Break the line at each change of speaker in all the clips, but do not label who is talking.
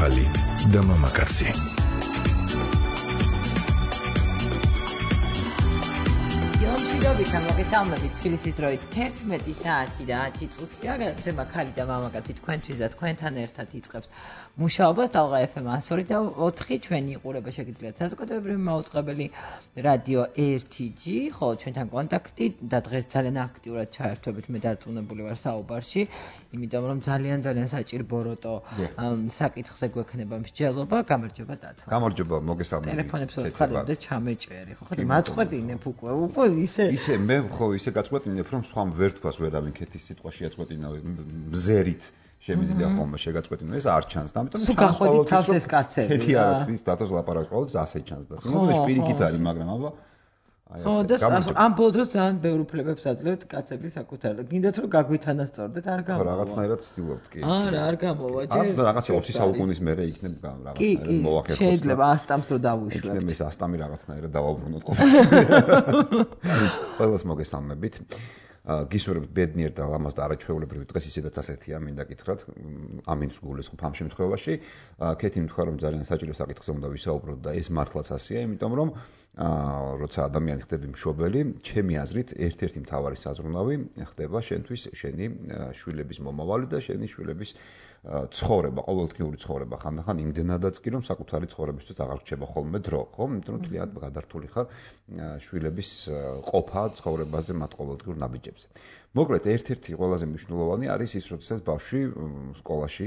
ქალი და მამაკაცი.
Jomshidobita მოგესალმებით თბილისის დროით 11 საათი და 10 წუთია გადაცემა ქალი და მამაკაცი თქვენთვის და თქვენთან ერთად იწყებს მუშაობას Talqa FM 102 და 4 ჩვენი იყურება შეგიძლიათ საზოგადოებრივი მაუწყებელი რადიო 1G ხოლო ჩვენთან კონტაქტი და დღეს ძალიან აქტიურად ჩაერთვებით მე დარწმუნებული ვარ საუბარში იმიტომ რომ ძალიან საჭირო როტო საკითხზე გვექნება მსჯელობა გამარჯობა დათო
გამარჯობა მოგესალმებით
ტელეფონებს ვაცხადებდი ჩამეჭერი ხო და მაწყვეტინებ უკვე
ისე მე ხო ისე გაწყვეტინებ რომ სხვამ ვერ თქვას ვერავინ ქეთის სიტყვა შეაწყვეტინა მზერით შემიძლია ხოლმე შეგაწყვეტინო ეს არ ჩანს და ამიტომ
ჩანს ყოველთვის რომ
ქეთი არის ის დათოს ლაპარაკს ყოველთვის ასე ჩანს და სიმართლეში პირიქით არის მაგრამ აბა
ხო და ამ ბოლო დროს ძალიან ბევრ უფლებებს აძლევთ კაცების საკუთარ გინდათ რომ გაგვითანასწორდეთ არ გამოვა
ხო რაღაცნაირად ვცდილობთ კი
არა არ გამოვა ჯერ
რაღაცა 20 საუკუნის მერე იქნებ რაღაცნაირად მოახერხოს
შეიძლება ასტამს რო დავუშვებთ
იქნებ ეს ასტამი რაღაცნაირად დავაბრუნოთ ყოველს ყველას მოგესალმებით გისურვებთ ბედნიერ და ლამაზ და არაჩვეულებრივ დღეს ისედაც ასეთია მინდა გითხრათ ამინს გულისხმობ ამ შემთხვევაში ქეთი მითქვა რომ ძალიან საჭირო საკითხზე უნდა ვისაუბროთ და ეს მართლაც ასეა იმიტომ რომ როცა ადამიანი ხდები მშობელი ჩემი აზრით ერთ-ერთი მთავარი საზრუნავი ხდება შენთვის შენი შვილების მომავალი და შენი შვილების ცხოვრება, ყოველდღიური ცხოვრება ხანდახან იმდენადაც კი რომ საკუთარი ცხოვრებისთვის აღარ რჩება ხოლმე დრო, ხო? იმიტომ რომ თლიანად გადართული ხარ შვილების ყოფა ცხოვრებაზე მათ ყოველდღიურ ნაბიჯებზე. მოკლედ ერთ-ერთი ყველაზე მნიშვნელოვანი არის ის, როდესაც ბავშვი სკოლაში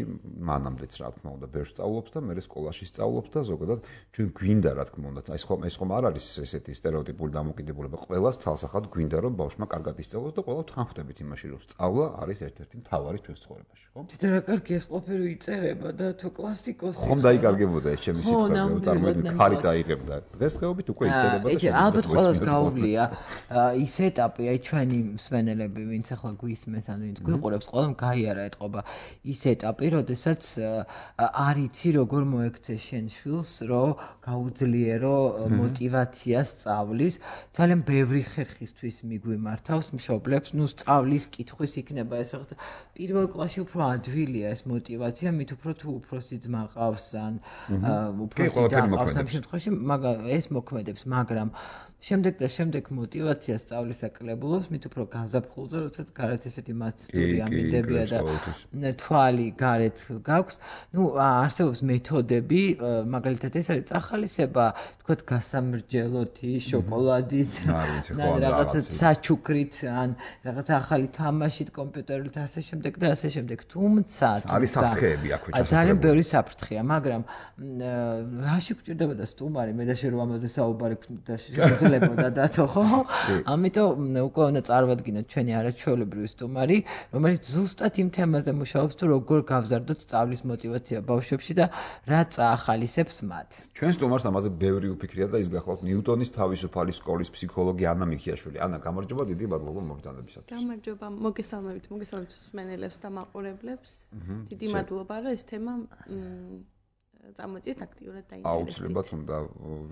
მანამდეც რა თქმა უნდა ბევრს სწავლობს და მერე სკოლაში სწავლობს და ზოგადად ჩვენ გვინდა რა თქმა უნდა ეს ხომ არ არის ესეთი სტერეოტიპული დამოკიდებულება ყველას თალსახად გვინდა რომ ბავშვმა კარგად ისწავლოს და ყველა თანხმდებით იმაში რომ სწავლა არის ერთ-ერთი მთავარი ჩვენს ცხოვრებაში ხო?
თითქოს რა კარგი ეს ყოფილი იწერება და თუ კლასიკოსი
ხომ დაიკარგებოდა ეს ჩემი სიტყვა წარმოიდგინე ქარი წაიღებდა დღესდღეობით უკვე იწერება და
შეიძლება ალბათ ყველას გაუვლია ის ეტაპი აი ჩვენი მსმენელები ვინც ახლა გვისმენს ან ვინც გვიყურებს ყველამ გაიარა ეთყობა ის ეტაპი როდესაც არ იცი როგორ მოექცე შენ შვილს რომ გაუძლიერო მოტივაცია სწავლის ძალიან ბევრი ხერხისთვის მიგვიმართავს მშობლებს ნუ სწავლის კითხვის იქნება ეს რაღაც პირველ კლასში უფრო ადვილია ეს მოტივაცია მით უფრო თუ უფროსი ძმა ყავს ან უფროსი და ყავს ამ შემთხვევაში ეს მოქმედებს მაგრამ შემდეგ მოტივაცია სწავლის აკლებულობს მით უფრო გაზაფხულზე როდესაც გარეთ ესეთი მასტური ამინდებია და თვალი გარეთ გაქვს ნუ არსებობს მეთოდები მაგალითად ეს არის წახალისება თქვათ გასამრჯელოთი შოკოლადით ან რაღაცა საჩუქრით ან რაღაცა ახალი თამაშით კომპიუტერით ასე შემდეგ და ასე შემდეგ თუმცა
არის საფრთხეები აქვე ჩასაძლებელი
ძალიან ბევრი საფრთხეა მაგრამ რაში გვჭირდება და სტუმარი მე და შე რომ ამაზე საუბარი და შეძლებოდა დათო ხო ამიტომ უკვე უნდა წარმოვადგინოთ ჩვენი არაჩვეულებრივი სტუმარი რომელიც ზუსტად იმ თემაზე მუშაობს თუ როგორ გავზარდოთ სწავლის მოტივაცია ბავშვებში და რა წაახალისებს მათ
ჩვენ სტუმარს ამაზე ბევრი უფიქრია და ის გახლავთ ნიუტონის თავისუფალი სკოლის ფსიქოლოგი ანა მიქიაშვილი ანა გამარჯობა დიდი მადლობა მოგზაურობისათვის
გამარჯობა მოგესალმებით მსმენელებს და მაყურებლებს დიდი მადლობა რომ ეს თემა წამოწიეთ აქტიურად დაინტერესდით.
აუცილებლად უნდა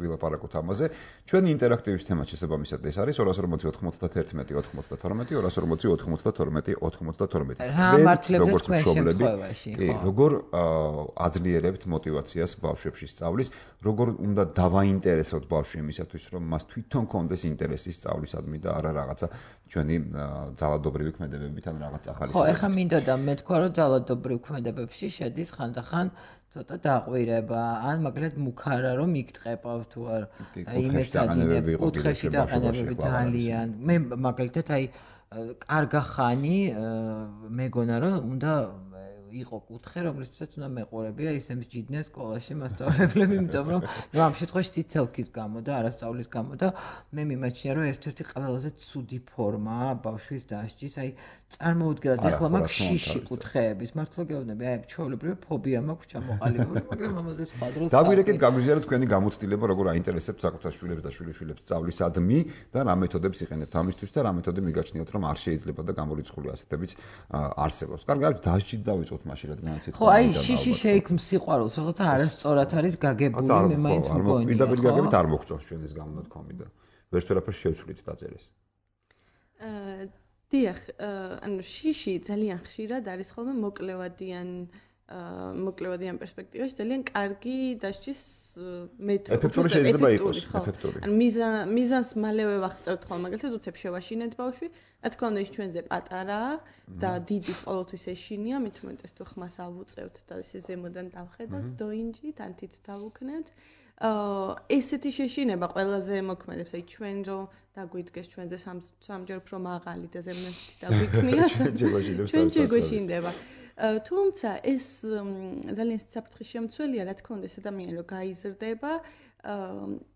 ვილაპარაკოთ ამაზე. ჩვენი ინტერაქტივის თემა შესაბამისად ეს არის 240 91 92 240 92 92.
რა მართლებთ თქვენ შემთხვევაში?
კი, როგორ აძლიერებთ მოტივაციას ბავშვებში სწავლის, როგორ უნდა დავაინტერესოთ ბავშვი იმისათვის, რომ მას თვითონ კონდეს ინტერესი სწავლისადმი და არა რაღაცა ჩვენი ძალადობრივი ქმედებებით ან რაღაც ახალი
ხო, ეხლა მინდოდა მე თქვა რომ ძალადობრივ ქმედებებში შედის ხანდახან ცოტა დაყვირება, ან მაგალითად მუქარა რომ იგტყება თუ არ იმეცადინებ კუთხეში დაყენებები ძალიან. მე მაგალითად აი კარგა ხანი მეგონა რომ უნდა იყო კუთხე, რომლისთვისაც უნდა მეყურებია ისე მსჯიდნენ სკოლაში მასწავლებლები, იმიტომ რომ ამ შემთხვევაში ციცელქის გამო და არასწავლის გამო და მე მიმაჩნია რომ ერთ-ერთი ყველაზე ცუდი ფორმაა ბავშვის დასჯის, აი წარმოუდგენლად ეხლა მაქვს შიში კუთხეების მართლა გეუბნები აი ჩვეულებრივი ფობია მაქვს ჩამოყალიბებული მაგრამ ამაზე სხვა დროს
დაგვირეკეთ გაგვიზიაროთ თქვენი გამოცდილება როგორ აინტერესებთ საკუთარ შვილებს და შვილიშვილებს სწავლისადმი და რა მეთოდებს იყენებთ ამისთვის და რა მეთოდი მიგაჩნიათ რომ არ შეიძლება და გამორიცხული ასეთებიც არსებობს კარგი არის დასჯით დავიწყოთ მაშინ რადგან ასეთ
ხო აი შიში შეიქმს სიყვარულს რაღაცა არასწორად არის გაგებული მე მაინც მგონია
პირდაპირ გაგებით არ მოგწონს ჩვენის გამონათქვამი და ვერც ვერაფერს შევცვლით დაწერეს
დიახ, ანუ შიში ძალიან ხშირად არის ხოლმე მოკლევადიან მოკლევადი ამ პერსპექტივაში ძალიან კარგი დასჭის მეთოდი.
ეფექტური შეიძლება იყოს, ეფექტური.
ან მიზანს მალევე ვახწევთ ხოლმე, მაგალითად უცებ შევაშინეთ ბავშვი, რა თქმა უნდა ის ჩვენზე პატარაა და დიდი ყოველთვის ეშინია, მით უმეტეს თუ ხმას ავუწევთ და ესე ზემოდან დავხედავთ, დოინჯით, ანთით დავუქნევთ. ესეთი შეშინება ყველაზე მოქმედებს, აი ჩვენ რომ დაგვიდგეს ჩვენზე სამჯერ უფრო მაღალი და ზემოთით დაგვიქნია. ჩვენ შეგვეშინდება. თუმცა ეს ძალიან საფრთხის შემცველია, რა თქმა უნდა, ეს ადამიანი რომ გაიზრდება,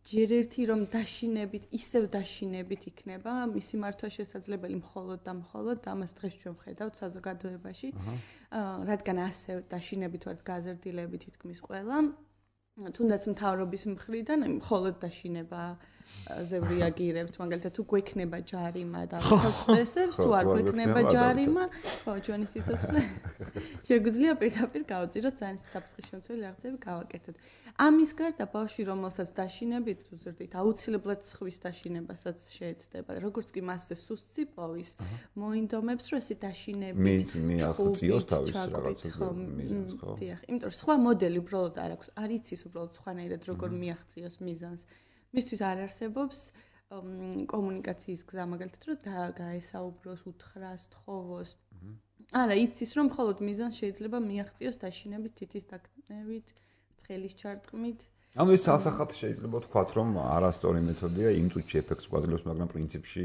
ჯერ ერთი რომ დაშინებით, ისევ დაშინებით იქნება, მისი მართვა შესაძლებელი მხოლოდ და მხოლოდ ამას დღეს ჩვენ ვხედავთ საზოგადოებაში, რადგან ასე დაშინებით ვართ გაზრდილები თითქმის ყველა. თუნდაც მთავრობის მხრიდან მხოლოდ დაშინება ზე რეაგირებთ, მაგალითად თუ გვექნება ჯარიმა და წესებს, თუ არ გვექნება ჯარიმა, ხო, ჩვენი სიცოცხლე შეგვიძლია პირდაპირ გავწიროთ, ძალიან საფრთხის შემცველი რაღაცები გავაკეთოთ. ამის გარდა ბავშვი, რომელსაც დაშინებით უზრდით, აუცილებლად სხვის დაშინებასაც შეეცდება. როგორც კი მასზე სუსტი პოვის, მოინდომებს, რომ ესე დაშინებით
მიაღწიოს თავის რაღაცა მიზანს, ხო?
დიახ, იმიტომ რომ სხვა მოდელი უბრალოდ არ აქვს, არ იცის უბრალოდ სხვანაირად როგორ მიაღწიოს მიზანს. მისთვის არ არსებობს კომუნიკაციის გზა, მაგალითად, რომ გაესაუბროს, უთხრას, თხოვოს. არა, იცის, რომ მხოლოდ მიზანს შეიძლება მიაღწიოს დაშინებით, თითის დაკნევით, ცხელის ჩარტყმით.
ანუ ეს ცალსახად შეიძლება ვთქვათ, რომ არასწორი მეთოდია, იმ წუთში ეფექტს გვაძლევს, მაგრამ პრინციპში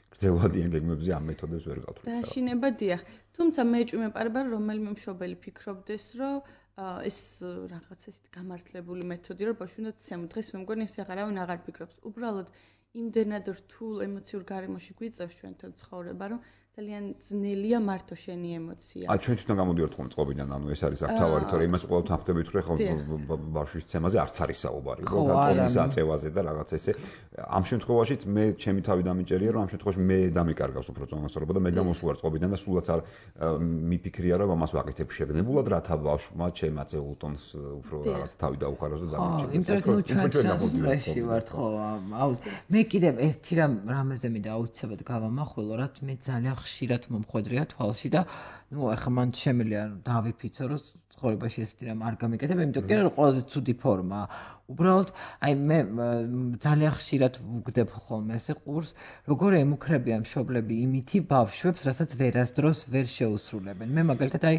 გრძელვადიან გეგმებზე ამ მეთოდებს ვერ გავთვლით.
დაშინება, დიახ. თუმცა მეჭვი მეპარება, რომ რომელიმე მშობელი ფიქრობდეს, რომ ეს რაღაც ესეთ გამართლებული მეთოდი, რომ ბავშვი უნდა ცემო. დღეს მე მგონი ეს აღარავინ აღარ ფიქრობს. უბრალოდ იმდენად რთულ ემოციურ გარემოში გვიწევს ჩვენთან ცხოვრება, რომ ძალიან ძნელია მართო შენი ემოცია.
ჩვენ თვითონ გამოდივართ ხოლმე წყობიდან, ანუ ეს არის აქ თავარი, თორე იმას უყურებთ ამხდებით, რომ ხო ბავშვის ცემაზე არც არის საუბარი, ხო, და ტონის აწევაზე და რაღაც ესე. ამ შემთხვევაშიც მე ჩემი თავი დამიჭერია, რომ ამ შემთხვევაში მე დამიკარგავს უფრო წონასწორობა და მე გამოსვარ წყობიდან და სულაც არ მიფიქრია, რომ ამას ვაკეთებ შეგნებულად, რათა ბავშვმა ჩემ აწეულ ტონს უფრო რაღაც თავი დაუხაროს და დამიჭეროს.
იმიტომ რომ ჩვენ სტრესში ვართ, ხო, მე კიდევ ერთი რამეზე მინდა აუცილებლად გავამახვილო, რაც მე ძალიან ხშირად მომხვედრია თვალში და ნუ ახლა მან შემიძლია დავიფიცო რომ ცხოვრებაში ესეთი რამ არ გამიკეთებ, იმიტომ რომ ყველაზე ცუდი ფორმაა. უბრალოდ აი მე ძალიან ხშირად ვუგდებ ხოლმე ესე ყურს, როგორ ემუქრებიან მშობლები იმითი ბავშვებს, რასაც ვერასდროს ვერ შეუსრულებენ. მე მაგალითად აი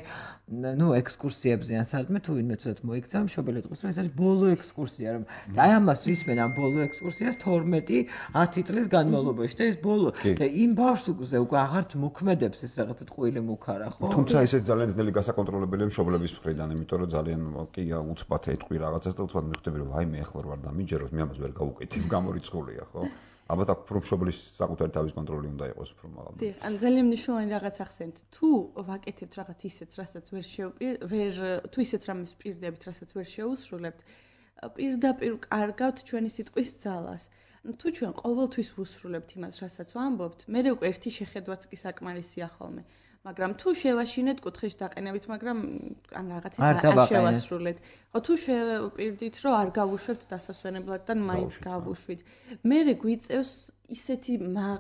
ნუ ექსკურსიებზე ან სადმე თუ ვინმე ცუდად მოიქცა, მშობელი ეთქოს, რომ ეს არის ბოლო ექსკურსია, რომ აი ამას ვისმენ ამ ბოლო ექსკურსიას 12-10 წლის განმავლობაში და ეს ბოლო და იმ ბავშვზე უკვე აღარც მოქმედებს ეს რაღაცა ტყუილი მუქარა, ხო?
თუმცა ესე ძალიან ძნელი გასაკონტროლებელია მშობლების მხრიდან, იმიტომ რომ ძალიან კი უცბად ეთყვი რაღაცას და უცბად მიხვდები, რომ აი მე ახლა ვარ დამიჯეროს, მე ამას ვერ გავუკეთებ, გამორიცხულია, ხო? ალბათ აქ უფრო მშობლის საკუთარი თავის კონტროლი უნდა იყოს უფრო მაღალი.
დიახ, ან ძალიან მნიშვნელოვანი რაღაც ახსენეთ. თუ ვაკეთებთ რაღაც ისეთს, რასაც თუ ისეთ რამეს პირდებით, რასაც ვერ შეუსრულებთ, პირდაპირ კარგავთ ჩვენი სიტყვის ძალას. თუ ჩვენ ყოველთვის ვუსრულებთ იმას, რასაც ვამბობთ, მე უკვე ერთი შეხედვაც კი საკმარისია ხოლმე. მაგრამ თუ შევაშინეთ კუთხეში დაყენებით, მაგრამ ან რაღაცით არ შევასრულეთ. ხო, თუ შევპირდით, რომ არ გავუშვებთ დასასვენებლად და მაინც გავუშვით. მე გვიწევს ისეთი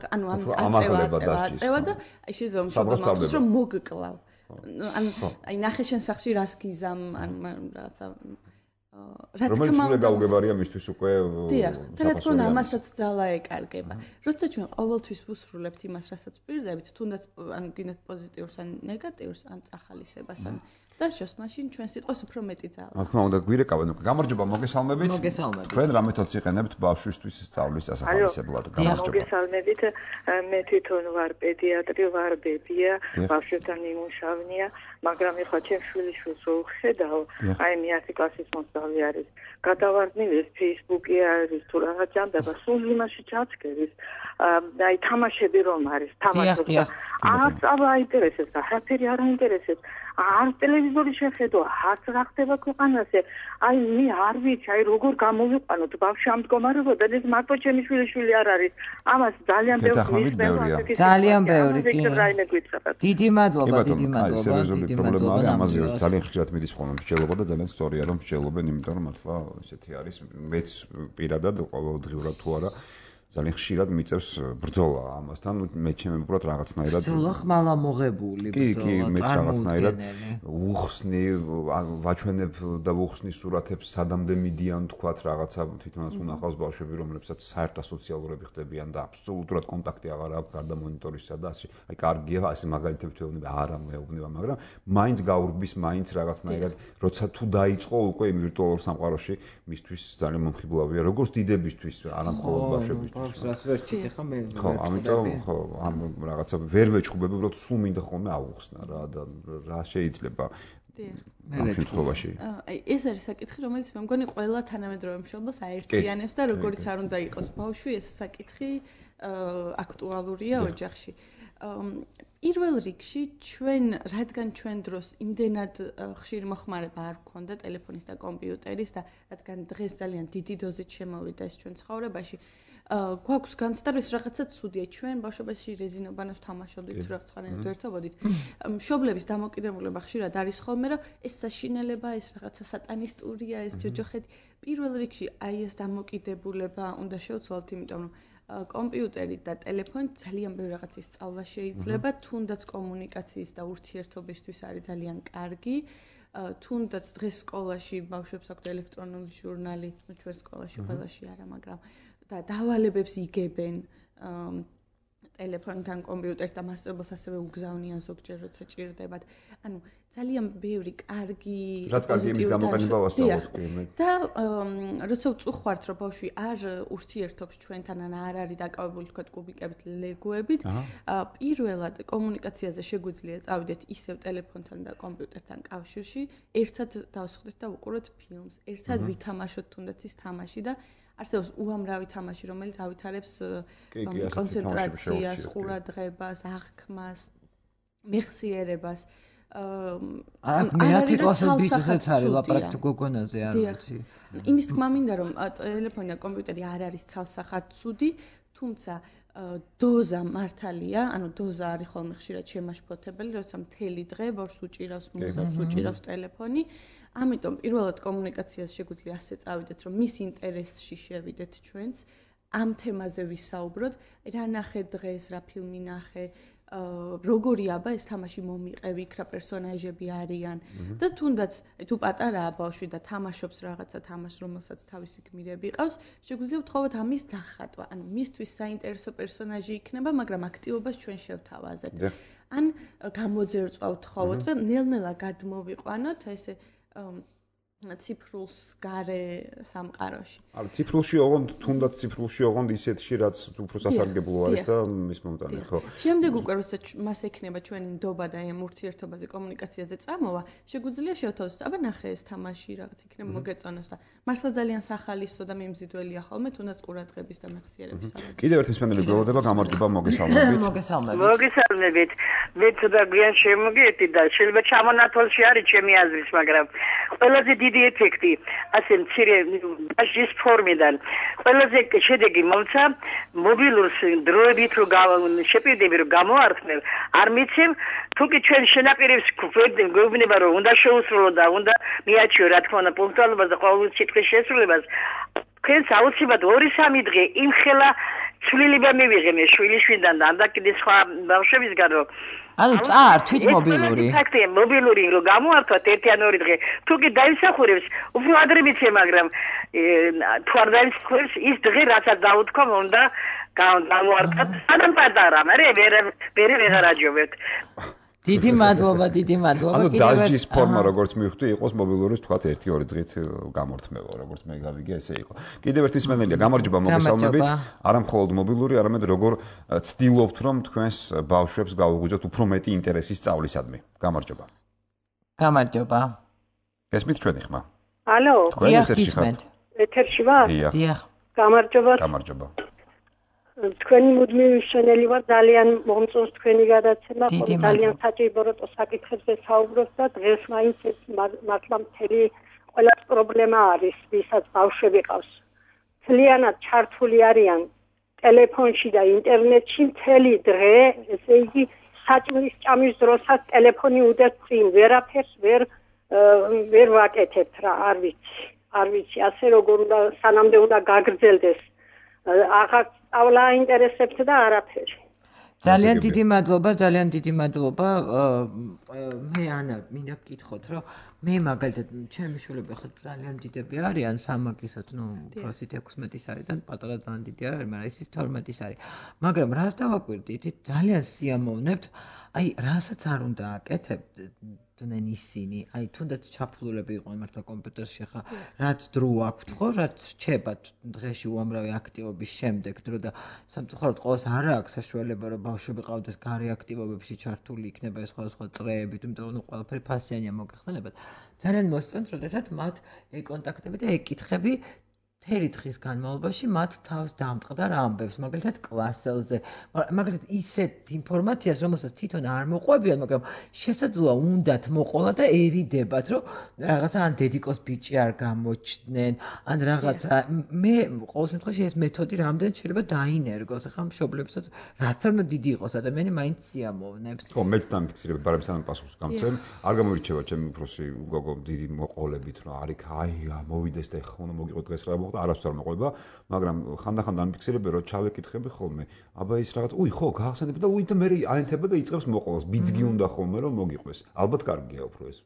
ანუ აწევა და აი შეიძლება მშობლებს რომ მოგკლავ. აი ნახე შენ სახში რას გიზამ, ან რაღაცა
რომელიც უნდა გაუგებარია მისთვის უკვე
დიახ, რა თქმა უნდა ამასაც ძალა ეკარგება. როცა ჩვენ ყოველთვის ვუსრულებთ იმას, რასაც პირდებით, თუნდაც ან გინდათ პოზიტიურს ან ნეგატიურს, ან წახალისებას, ან დასჯოს, მაშინ ჩვენ სიტყვას უფრო მეტი ძალა.
რა თქმა უნდა, გვირეკავენ უკვე. გამარჯობა, მოგესალმებით. თქვენ რა მეთოდს იყენებთ ბავშვისთვის სწავლის ასახალისებლად?
გამარჯობა. მოგესალმებით. მე თვითონ ვარ პედიატრი, ვარ ბებია, ბავშვებთან იმუშავნია, მაგრამ ეხლა ჩემს შვილიშვილს რო ვხედავ, აი 10 კლასის მოსწავლე არის. გადავარდნილი ეს Facebook-ი არის თუ რაღაც ჯამდება, სულ იმაში ჩაცკერის. აი თამაშები რომ არის, თამაშობს. არ აინტერესებს და რაფერი არ აინტერესებს. არ ტელევიზორი შეხედო, არც რა ხდება ქვეყანაზე. აი მე არ ვიცი, აი როგორ გამოვიყვანოთ ბავშვი ამ მდგომარეობა, ეს მარტო ჩემი შვილიშვილი არ არის. ამას ძალიან ბევრი
ძალიან ბევრი კი. დიდი მადლობა, დიდი მადლობა.
სერიოზული პრობლემა არის, ამაზე ძალიან ხშირად მიდის ხოლმე მსჯელობა და ძალიან სწორია რომ მსჯელობენ, იმიტომ რომ მართლა ესეთი არის. მეც პირადად ყოველდღიურად თუ არა ძალიან ხშირად მიწევს ბრძოლა ამასთან, მე ჩემებურად რაღაცნაირად
ბრძოლა ხმალა მოღებული ბრძოლა.
კი, მეც რაღაცნაირად უხსნი, ვაჩვენებ და ვუხსნი სურათებს, სადამდე მიდიან თქვათ რაღაცა თვითონაც უნახავს ბავშვები, რომლებსაც საერთო ასოციალურები ხდებიან და აბსოლუტურად კონტაქტი აღარ აქვს გარდა მონიტორისა და ასე. აი კარგია, ასე მაგალითები თვეუბნება, არა მეუბნება, მაგრამ მაინც გაურბის, მაინც რაღაცნაირად, როცა თუ დაიწყო უკვე იმ ვირტუალურ სამყაროში, მისთვის ძალიან მომხიბლავია, როგორც დიდებისთვის, არა მხოლოდ ბავშვებისთვის.
რას ვერჩით ახლა მე
ხო, ამიტომ ხო, ამ რაღაცა ვერ ვეჩხუბები, უბრალოდ სულ მინდა ხოლმე ავუხსნა რა და რა შეიძლება ამ შემთხვევაში.
აი ეს არის საკითხი, რომელიც მე მგონი ყველა თანამედროვე მშობელს აერთიანებს და როგორც არ უნდა იყოს ბავშვი, ეს საკითხი აქტუალურია ოჯახში. პირველ რიგში რადგან ჩვენ დროს იმდენად ხშირი მოხმარება არ გქონდა ტელეფონის და კომპიუტერის და რადგან დღეს ძალიან დიდი დოზით შემოვიდა ეს ჩვენ ცხოვრებაში, გვაქვს განცდა, რომ ეს რაღაცა ცუდია. ჩვენ ბავშვობაში რეზინობანოს თამაშობდით, რაღაც ხანით ერთობოდით. მშობლების დამოკიდებულება ხშირად არის ხოლმე, რომ ეს საშინელება, ეს რაღაცა სატანისტურია, ეს ჯოჯოხეთი. პირველ რიგში აი ეს დამოკიდებულება უნდა შევცვალოთ, იმიტომ რომ კომპიუტერი და ტელეფონი ძალიან ბევრი რაღაცის სწავლა შეიძლება, თუნდაც კომუნიკაციის და ურთიერთობისთვის არის ძალიან კარგი. თუნდაც დღეს სკოლაში ბავშვებს აქვთ ელექტრონული ჟურნალი, ჩვენ სკოლაში ყველაში არა, მაგრამ და დავალებებს იგებენ ტელეფონთან, კომპიუტერთან, მასწავლებელს ასევე უგზავნიან ზოგჯერ როცა ჭირდებათ. ანუ ძალიან ბევრი კარგი
რაც კარგი იმის გამოყენება ვასწავლოთ მე.
და როცა ვწუხართ, რომ ბავშვი არ ურთიერთობს ჩვენთან, ან არ არის დაკავებული თქვა კუბიკებით, ლეგოებით, პირველად კომუნიკაციაზე შეგვიძლია წავიდეთ ისევ ტელეფონთან და კომპიუტერთან კავშირში, ერთად დავსხდეთ და ვუყუროთ ფილმს, ერთად ვითამაშოთ თუნდაც ის თამაში და არსებობს უამრავი თამაში, რომელიც ავითარებს კონცენტრაციას, ყურადღებას, აღქმას, მეხსიერებას.
მეათე კლასებითაც არის ლაპარაკი გოგონაზე არ ვიცი.
იმის თქმა მინდა, რომ ტელეფონი და კომპიუტერი არ არის ცალსახად ცუდი, თუმცა დოზა მართალია, ანუ დოზა არის ხოლმე ხშირად შემაშფოთებელი, როცა მთელი დღე ბავშვს უჭირავს მუსიკას, უჭირავს ტელეფონი. ამიტომ პირველად კომუნიკაციას შეგვიძლია ასე წავიდეთ, რომ მის ინტერესში შევიდეთ ჩვენც, ამ თემაზე ვისაუბროთ, რა ნახე დღეს, რა ფილმი ნახე, როგორი აბა ეს თამაში მომიყევი, იქ რა პერსონაჟები არიან და თუნდაც თუ პატარაა ბავშვი და თამაშობს რაღაცა თამაშს, რომელსაც თავისი გმირები ყავს, შეგვიძლია ვთხოვოთ ამის დახატვა. ანუ მისთვის საინტერესო პერსონაჟი იქნება, მაგრამ აქტივობას ჩვენ შევთავაზებთ. ან გამოძერწვა ვთხოვოთ და ნელ-ნელა გადმოვიყვანოთ ესე ციფრულს გარე სამყაროში.
არა, ციფრულში ოღონდ, თუნდაც ციფრულში ოღონდ ისეთში, რაც უფრო სასარგებლო არის და მის მომტანი, ხო.
შემდეგ უკვე როცა მას ექნება ჩვენი ნდობა და ამ ურთიერთობაზე, კომუნიკაციაზე წამოვა, შეგვიძლია შევთავაზოთ, აბა ნახე ეს თამაში რაღაც იქნება მოგეწონოს და მართლა ძალიან სახალისო და მიმზიდველია ხოლმე, თუნდაც ყურადღების და მეხსიერების საქმე.
კიდევ ერთი მსმენელი გველოდება, გამარჯობა, მოგესალმებით.
მოგესალმებით. მე ცოტა გვიან შემოგიერთდი და შეიძლება ჩამონათვალში არის ჩემი აზრით, მაგრამ ყველაზე დიდი ეფექტი ასე მცირე ბაჟის ფორმიდან ყველაზე შედეგი მომცა მობილურს დროებით რო შეპირდები რომ გამოართმევ არ მიცემ თუკი ჩვენ შენაპირებს გვეუბნება რომ უნდა შეუსრულო და უნდა მიაჩიო რა თქმა უნდა პუნქტუალობას და ყოველ სიტყვის შესრულებას თქვენს აუცილებლად 2-3 დღე იმხელა ცვლილება მივიღე მე შვილიშვილიდან და ამდა კიდე სხვა ბავშვებისგან რომ
ანუ წაართვით მობილური.
ფაქტია, მობილური რო გამოართვათ 1-2 დღე. თუკი დაისახურებს, უფრო ადრე მიცე, მაგრამ თუ არ დაისახურებს, ის დღე რასაც დაუთქვა, უნდა გამოართვათ. სანამ პატარა, მაგრამ ვერ ვეღარაჯობებთ.
დიდი მადლობა.
ანუ დასჯის ფორმა როგორც მივხვდი, იყოს მობილურის თქვათ 1-2 დღით გამორთმევა, როგორც მე გავიგე, ესე იყო. კიდევ ერთი მსმენელია, გამარჯობა, მოგესალმებით. არა მხოლოდ მობილური, არამედ როგორ ცდილობთ, რომ თქვენს ბავშვებს გაუღვიძოთ უფრო მეტი ინტერესი სწავლისადმი. გამარჯობა.
გამარჯობა.
ესმით ჩვენი ხმა.
ალო.
თქვენ ეთერში ხართ?
ეთერში ვარ?
დიახ.
გამარჯობა.
გამარჯობა.
თქვენი მუდმივი მშენელი ვარ, ძალიან მომწონს თქვენი გადაცემა, ძალიან საჭირო საკითხებზე საუბრობთ და დღეს მაინც მართლა მთელი ყველა პრობლემა არის, ვისაც ბავშვები ყავს. ძალიანად ჩართული არიან ტელეფონში და ინტერნეტში მთელი დღე, ესე იგი საჭმლის ჭამის დროსაც ტელეფონი უდევთ წინ, ვერაფერს ვერ ვაკეთებთ რა, არ ვიცი, ასე როგორ უნდა სანამდე უნდა გაგრძელდეს. აღარ
სწავლა აინტერესებთ და არაფერი.
ძალიან დიდი მადლობა. მე ანა მინდა გკითხოთ, რომ მე მაგალითად ჩემი შვილები ხა ძალიან დიდები არიან, სამაგისად, პროცენტ 16-ის არის და პატარა ძალიან დიდი არ არის, მაგრამ ის 12-ის არის. მაგრამ რას დავაკვირდით, ძალიან სიამოვნებთ, აი, რასაც არ უნდა აკეთებდნენ ისინი, აი, თუნდაც ჩაფლულები იყვნენ მართლა კომპიუტერში ხა, რაც დრო აქვთ, ხო, რაც რჩებათ დღეში უამრავი აქტივობის შემდეგ დრო და სამწუხაროდ ყოველს არ აქვს საშუალება, რომ ბავშვები ყავდეს გარე აქტივობებში ჩართული იქნება ეს სხვადასხვა წრეებით, იმიტომ რომ ყველაფერი ფასიანია მოგეხსენებათ. ძალიან მოსწონთ, როდესაც მათ ეკონტაქტები და ეკითხები მთელი დღის განმავლობაში მათ თავს დამტყდა ამბებს, მაგალითად კლასელზე, მაგალითად ისეთ ინფორმაციას, რომელსაც თვითონ არ მოყვებიან, მაგრამ შესაძლოა უნდათ მოყოლა და ერიდებათ, რომ რაღაცა ან დედიკოს ბიჭი არ გამოჩნდნენ, ან რაღაცა. მე ყოველ შემთხვევაში ეს მეთოდი რამდენ შეიძლება დაინერგოს, ახლა მშობლებსაც რაც არ უნდა დიდი იყოს ადამიანი, მაინც სიამოვნებს.
ხო, მეც დამფიქსირებ, ბარემ სანამ პასუხს გამცემ, არ გამორიჩევა ჩემი უფროსი გოგო დიდი მოყოლებით, რომ არიქ აი მოვიდეს და ეხლა უნდა მოგიყო დღეს რა და არასდროს არ მოყვება, მაგრამ ხანდახან დამფიქსირებ, რომ ჩავეკითხები ხოლმე. აბა ის რაღაც, ხო, გაახსენებ და და მე აენთება და იწყებს მოყოლას. ბიძგი უნდა ხოლმე რომ მოგიყვეს. ალბათ კარგია უფრო ეს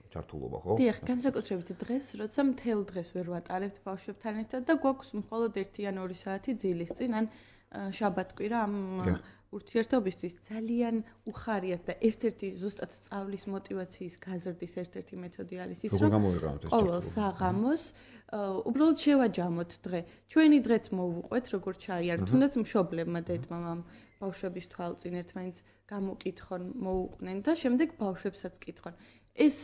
ჩართულობა, ხო?
დიახ, განსაკუთრებით დღეს, როცა მთელ დღეს ვერ ვატარებთ ბავშვებთან ერთად და გვაქვს მხოლოდ 1 ან 2 საათი ძილის წინ, ან შაბათ-კვირა ამ ურთიერთობისთვის ძალიან უხარიათ და ერთ-ერთი ზუსტად სწავლის მოტივაციის გაზრდის ერთ-ერთი მეთოდი არის ის, რომ ყოველ საღამოს უბრალოდ შევაჯამოთ დღე. ჩვენი დღეც მოვუყვეთ, როგორც ჩაიართ, თუნდაც მშობლებმა დედ-მამამ ბავშვების თვალწინ ერთმანეთს გამოკითხონ, მოუყვნენ და შემდეგ ბავშვებსაც კითხონ. ეს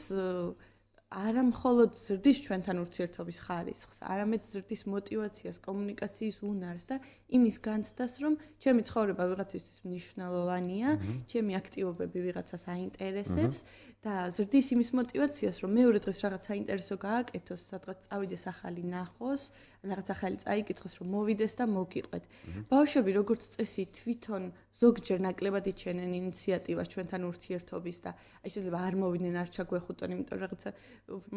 არა მხოლოდ ზრდის ჩვენთან ურთიერთობის ხარისხს, არამედ ზრდის მოტივაციას, კომუნიკაციის უნარს და იმის განცდას, რომ ჩემი ცხოვრება ვიღაცისთვის მნიშვნელოვანია, ჩემი აქტივობები ვიღაცას აინტერესებს და ზრდის იმის მოტივაციას, რომ მეორე დღეს რაღაც საინტერესო გააკეთოს, სადღაც წავიდეს ახალი ნახოს, რაღაც ახალი წაიკითხოს, რომ მოვიდეს და მოგიყვეთ. ბავშვები როგორც წესი თვითონ ზოგჯერ ნაკლებად იჩენენ ინიციატივას ჩვენთან ურთიერთობის და აი შეიძლება არ მოვიდნენ, არ ჩაგვეხუტონ, იმიტომ რომ რაღაცა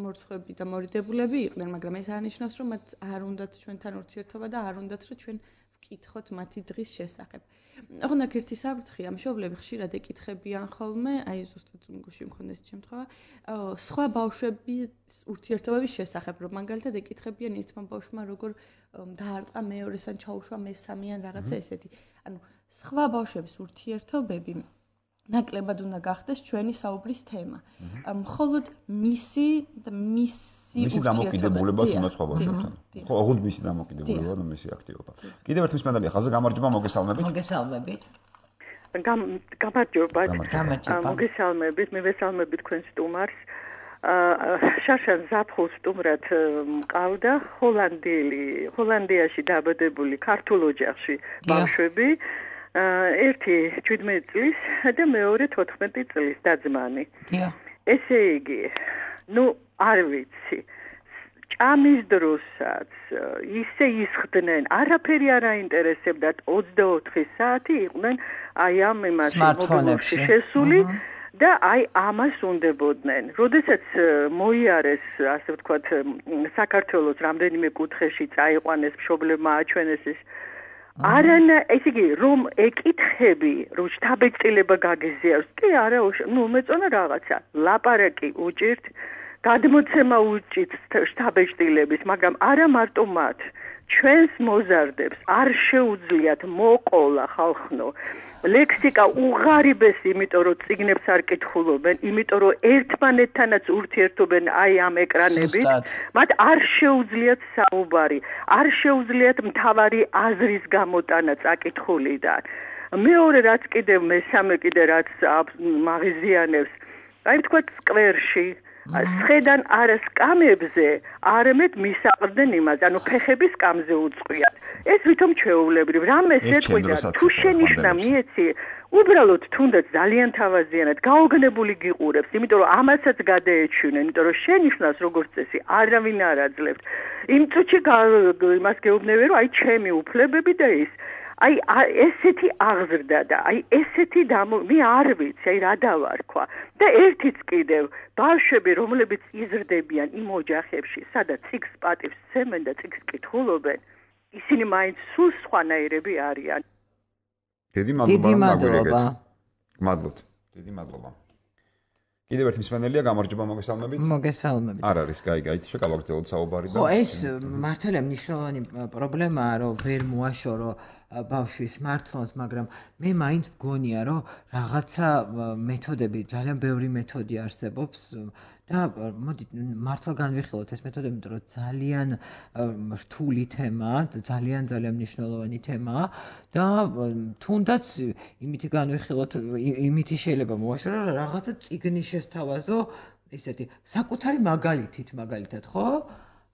მორცხვები და მორიდებულები იყვნენ, მაგრამ ეს არნიშნავს, რომ მათ არ უნდათ ჩვენთან ურთიერთობა და არ უნდათ, რომ ჩვენ ვკითხოთ მათი დღის შესახებ. ოღონდ ერთი საფრთხეა, მშობლები ხშირად ეკითხებიან ხოლმე, აი ზუსტად გუში მქონდეს შემთხვევა, სხვა ბავშვების ურთიერთობების შესახებ, რომ მაგალითად ეკითხებიან ერთმა ბავშვმა როგორ დაარტყა მეორეს ან ჩაუშვა მესამე ან რაღაცა ესეთი. ანუ სხვა ბავშვების ურთიერთობები ნაკლებად უნდა გახდეს ჩვენი საუბრის თემა. მხოლოდ მისი
დამოკიდებულება თუნდაც სხვა ბავშვებთან. ხო, აღუდ მისი დამოკიდებულება და მისი აქტივობა. კიდევ ერთ მისმენდალია ხაზზე გამარჯობა, მოგესალმებით.
მოგესალმებით.
გამარჯობა.
მოგესალმებით.
მე ვესალმები თქვენ სტუმარს. შარშან ზაფხულ სტუმრად მყავდა ჰოლანდიაში დაბადებული ქართულ ოჯახში ბავშვები. ერთი 17 წლის და მეორე 14 წლის და-ძმანი. ესე იგი, არ ვიცი. ჭამის დროსაც ისე ისხდნენ, არაფერი არ აინტერესებდათ, 24 საათი იყვნენ აი ამ იმაში მობილურში შესული და აი ამას უნდებოდნენ. როდესაც მოიარეს, ასე ვთქვათ, საქართველოს რამდენიმე კუთხეში წაიყვანეს მშობლებმა აჩვენეს ეს ესე იგი, რომ ეკითხები, რომ შთაბეჭდილება გაგიზიაროს, კი არა, მეწონა რაღაცა, ლაპარაკი უჭირთ, გადმოცემა უჭირთ შთაბეჭდილების, მაგრამ არა მარტო მათ, ჩვენს მოზარდებს არ შეუძლიათ მოყოლა ხალხნო. ლექსიკა უღარიბესი, იმიტომ რომ წიგნებს არ კითხულობენ, იმიტომ რომ ერთმანეთთანაც ურთიერთობენ აი ამ ეკრანებით, მათ არ შეუძლიათ საუბარი, არ შეუძლიათ მთავარი აზრის გამოტანა წაკითხულიდან. მეორე რაც კიდევ მესამე კიდე რაც მაღიზიანებს, აი თქვა სკვერში სხედან არა სკამებზე, არამედ მისაყრდნენ იმას, ანუ ფეხების სკამზე უწყვიათ. ეს ვითომ ჩვეულებრივ, რამეს ეთქვიდა, თუ შენიშვნა მიეცი, უბრალოდ თუნდაც ძალიან თავაზიანად გაოგნებული გიყურებს, იმიტომ რომ ამასაც გადაეჩვენენ, იმიტომ რომ შენიშვნას როგორც წესი არავინ არ აძლევთ. იმ წუთში იმას გეუბნები, რომ აი ჩემი უფლებები და ის აი ესეთი აღზრდა და აი ესეთი მე არ ვიცი, აი რა დავარქვა. და ერთიც კიდევ ბავშვები, რომლებიც იზრდებიან იმ ოჯახებში, სადაც ციგს პატივს სცემენ და ციგს კითხულობენ,
ისინი მაინც სულ სხვანაირები არიან.
დიდი მადლობა. მადლობთ. დიდი მადლობა. კიდევ ერთი მსმენელია, გამარჯობა, მოგესალმებით.
მოგესალმებით.
არ არის, გაიგეთ, შეგავაგრძელოთ საუბარი და
ხო, ეს მართალია მნიშვნელოვანი პრობლემაა, რომ ვერ მოაშორო ბავშვის smartphones, მაგრამ მე მაინც მგონია, რომ რაღაცა მეთოდები, ძალიან ბევრი მეთოდი არსებობს და მოდით მართლა განვიხილოთ ეს მეთოდები, იმიტომ რომ ძალიან რთული თემაა, ძალიან მნიშვნელოვანი თემაა და თუნდაც იმითი განვიხილოთ, იმითი შეიძლება მოაშორო, რომ რაღაცა წიგნი შესთავაზო, ისეთი საკუთარი მაგალითად, ხო?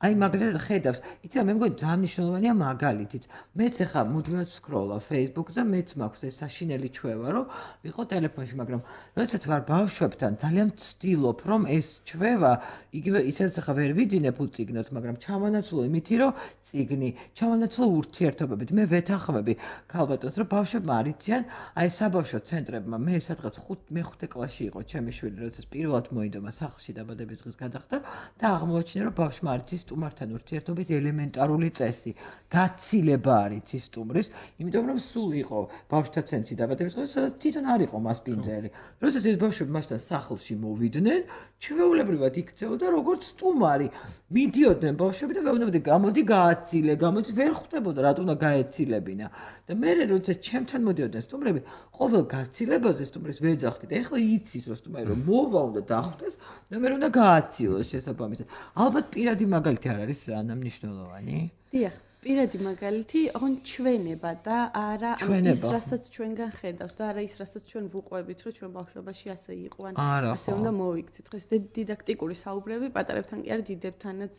აი მაგალითად ხედავს, იცი მე მგონი ძალიან მნიშვნელოვანია მაგალითიც. მეც ახლა მუდმივად ვსკროლავ Facebook-ს და მეც მაქვს ეს საშინელი ჩვევა, რომ ვიყო ტელეფონში, მაგრამ როდესაც ვარ ბავშვებთან, ძალიან ვცდილობ, რომ ეს ჩვევა იგივე ისედაც ახლა ვერ ვიძინებ უწიგნოთ, მაგრამ ჩამონაცვლო იმითი, რომ წიგნი, ჩამონაცვლო ურთიერთობებით. მე ვეთანხმები ქალბატონს, რომ ბავშვებმა არიციან, აი საბავშვო ცენტრებმა, მე სადღაც მე-5 კლასში იყო ჩემი შვილი, როდესაც პირველად მოიდომა სახლში დაბადების დღის გადახდა და აღმოაჩინა, რომ ბავშვმა არიცის სტუმართან ურთიერთობის ელემენტარული წესი, გაცილება არის ის სტუმრის, იმიტომ რომ სულ იყო ბავშვთა ცენტრში დაბადების დღე, სადაც თვითონ არ იყო მასპინძელი. როდესაც ეს ბავშვები მასთან სახლში მოვიდნენ, ჩვეულებრივად იქცეოდა როგორც სტუმარი. მიდიოდნენ ბავშვები და ვეუბნებოდი, გამოდი გააცილე, გამოდი ვერ ხვდებოდა რატო უნდა გაეცილებინა. და მე როდესაც ჩემთან მოდიოდნენ სტუმრები, ყოველ გაცილებაზე სტუმრის ვეძახდით. ეხლა იცის რომ სტუმარი რომ მოვა უნდა დახვდეს და მე უნდა გააცილოს შესაბამისად. ალბათ პირადი მაგალითი არ არის მნიშვნელოვანი?
დიახ, პირადი მაგალითი, ოღონდ ჩვენება და არა ის, რასაც ჩვენგან ხედავს და არა ის, რასაც ჩვენ ვუყვებით, რომ ჩვენ ბავშვობაში ასე იყვან, ასე უნდა მოვიქცეთ. დღეს დიდაქტიკური საუბრები პატარებთან კი არა, დიდებთანაც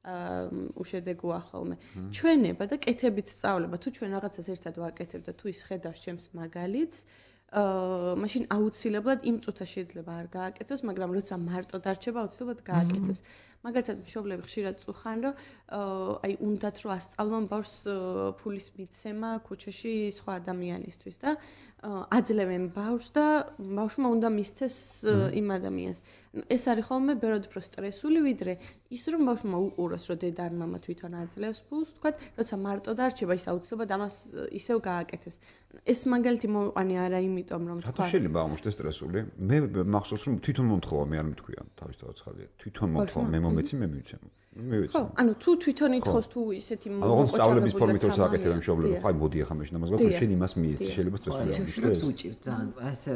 უშედეგოა ხოლმე. ჩვენება და კეთებით სწავლება, თუ ჩვენ რაღაცას ერთად ვაკეთებ და თუ ის ხედავს ჩემს მაგალითს, მაშინ აუცილებლად იმ წუთას შეიძლება არ გააკეთოს, მაგრამ როცა მარტო დარჩება, აუცილებლად გააკეთებს. მაგალითად, მშობლები ხშირად წუხან, რომ აი უნდათ რომ ასწავლონ ბავშვს ფულის მიცემა ქუჩაში სხვა ადამიანისთვის და აძლევენ ბავშვს და ბავშვმა უნდა მისცეს იმ ადამიანს. ეს არის ხოლმე ბევრად უფრო სტრესული, ვიდრე ის რომ ბავშვმა უყუროს, რომ დედა ან მამა თვითონ აძლევს ფულს, თქვათ, როცა მარტო დარჩება, ის აუცილებლად ამას ისევ გააკეთებს. ეს მაგალითი მოვიყვანე არა იმიტომ, რომ
თქვა. რატო შეიძლება აღმოჩნდეს სტრესული? მე მახსოვს, რომ თვითონ მომთხოვა, მე არ მithქვია თავისთავად ხალხი. თვითონ მომთხოვა, მე მომეცი, მე მივცემ.
ხო, ანუ თუ თვითონ ითხოვს თუ ისეთი
მოყოჭებული სწავლების ფორმით რო სააკეთებ მშობლები, ხო, აი მოდი ახლა მეშინ ამას გასულ, შენ იმას მიეცი, შეიძლება სტრესული აღმოჩნდეს.
უჭირს ძალიან, ასე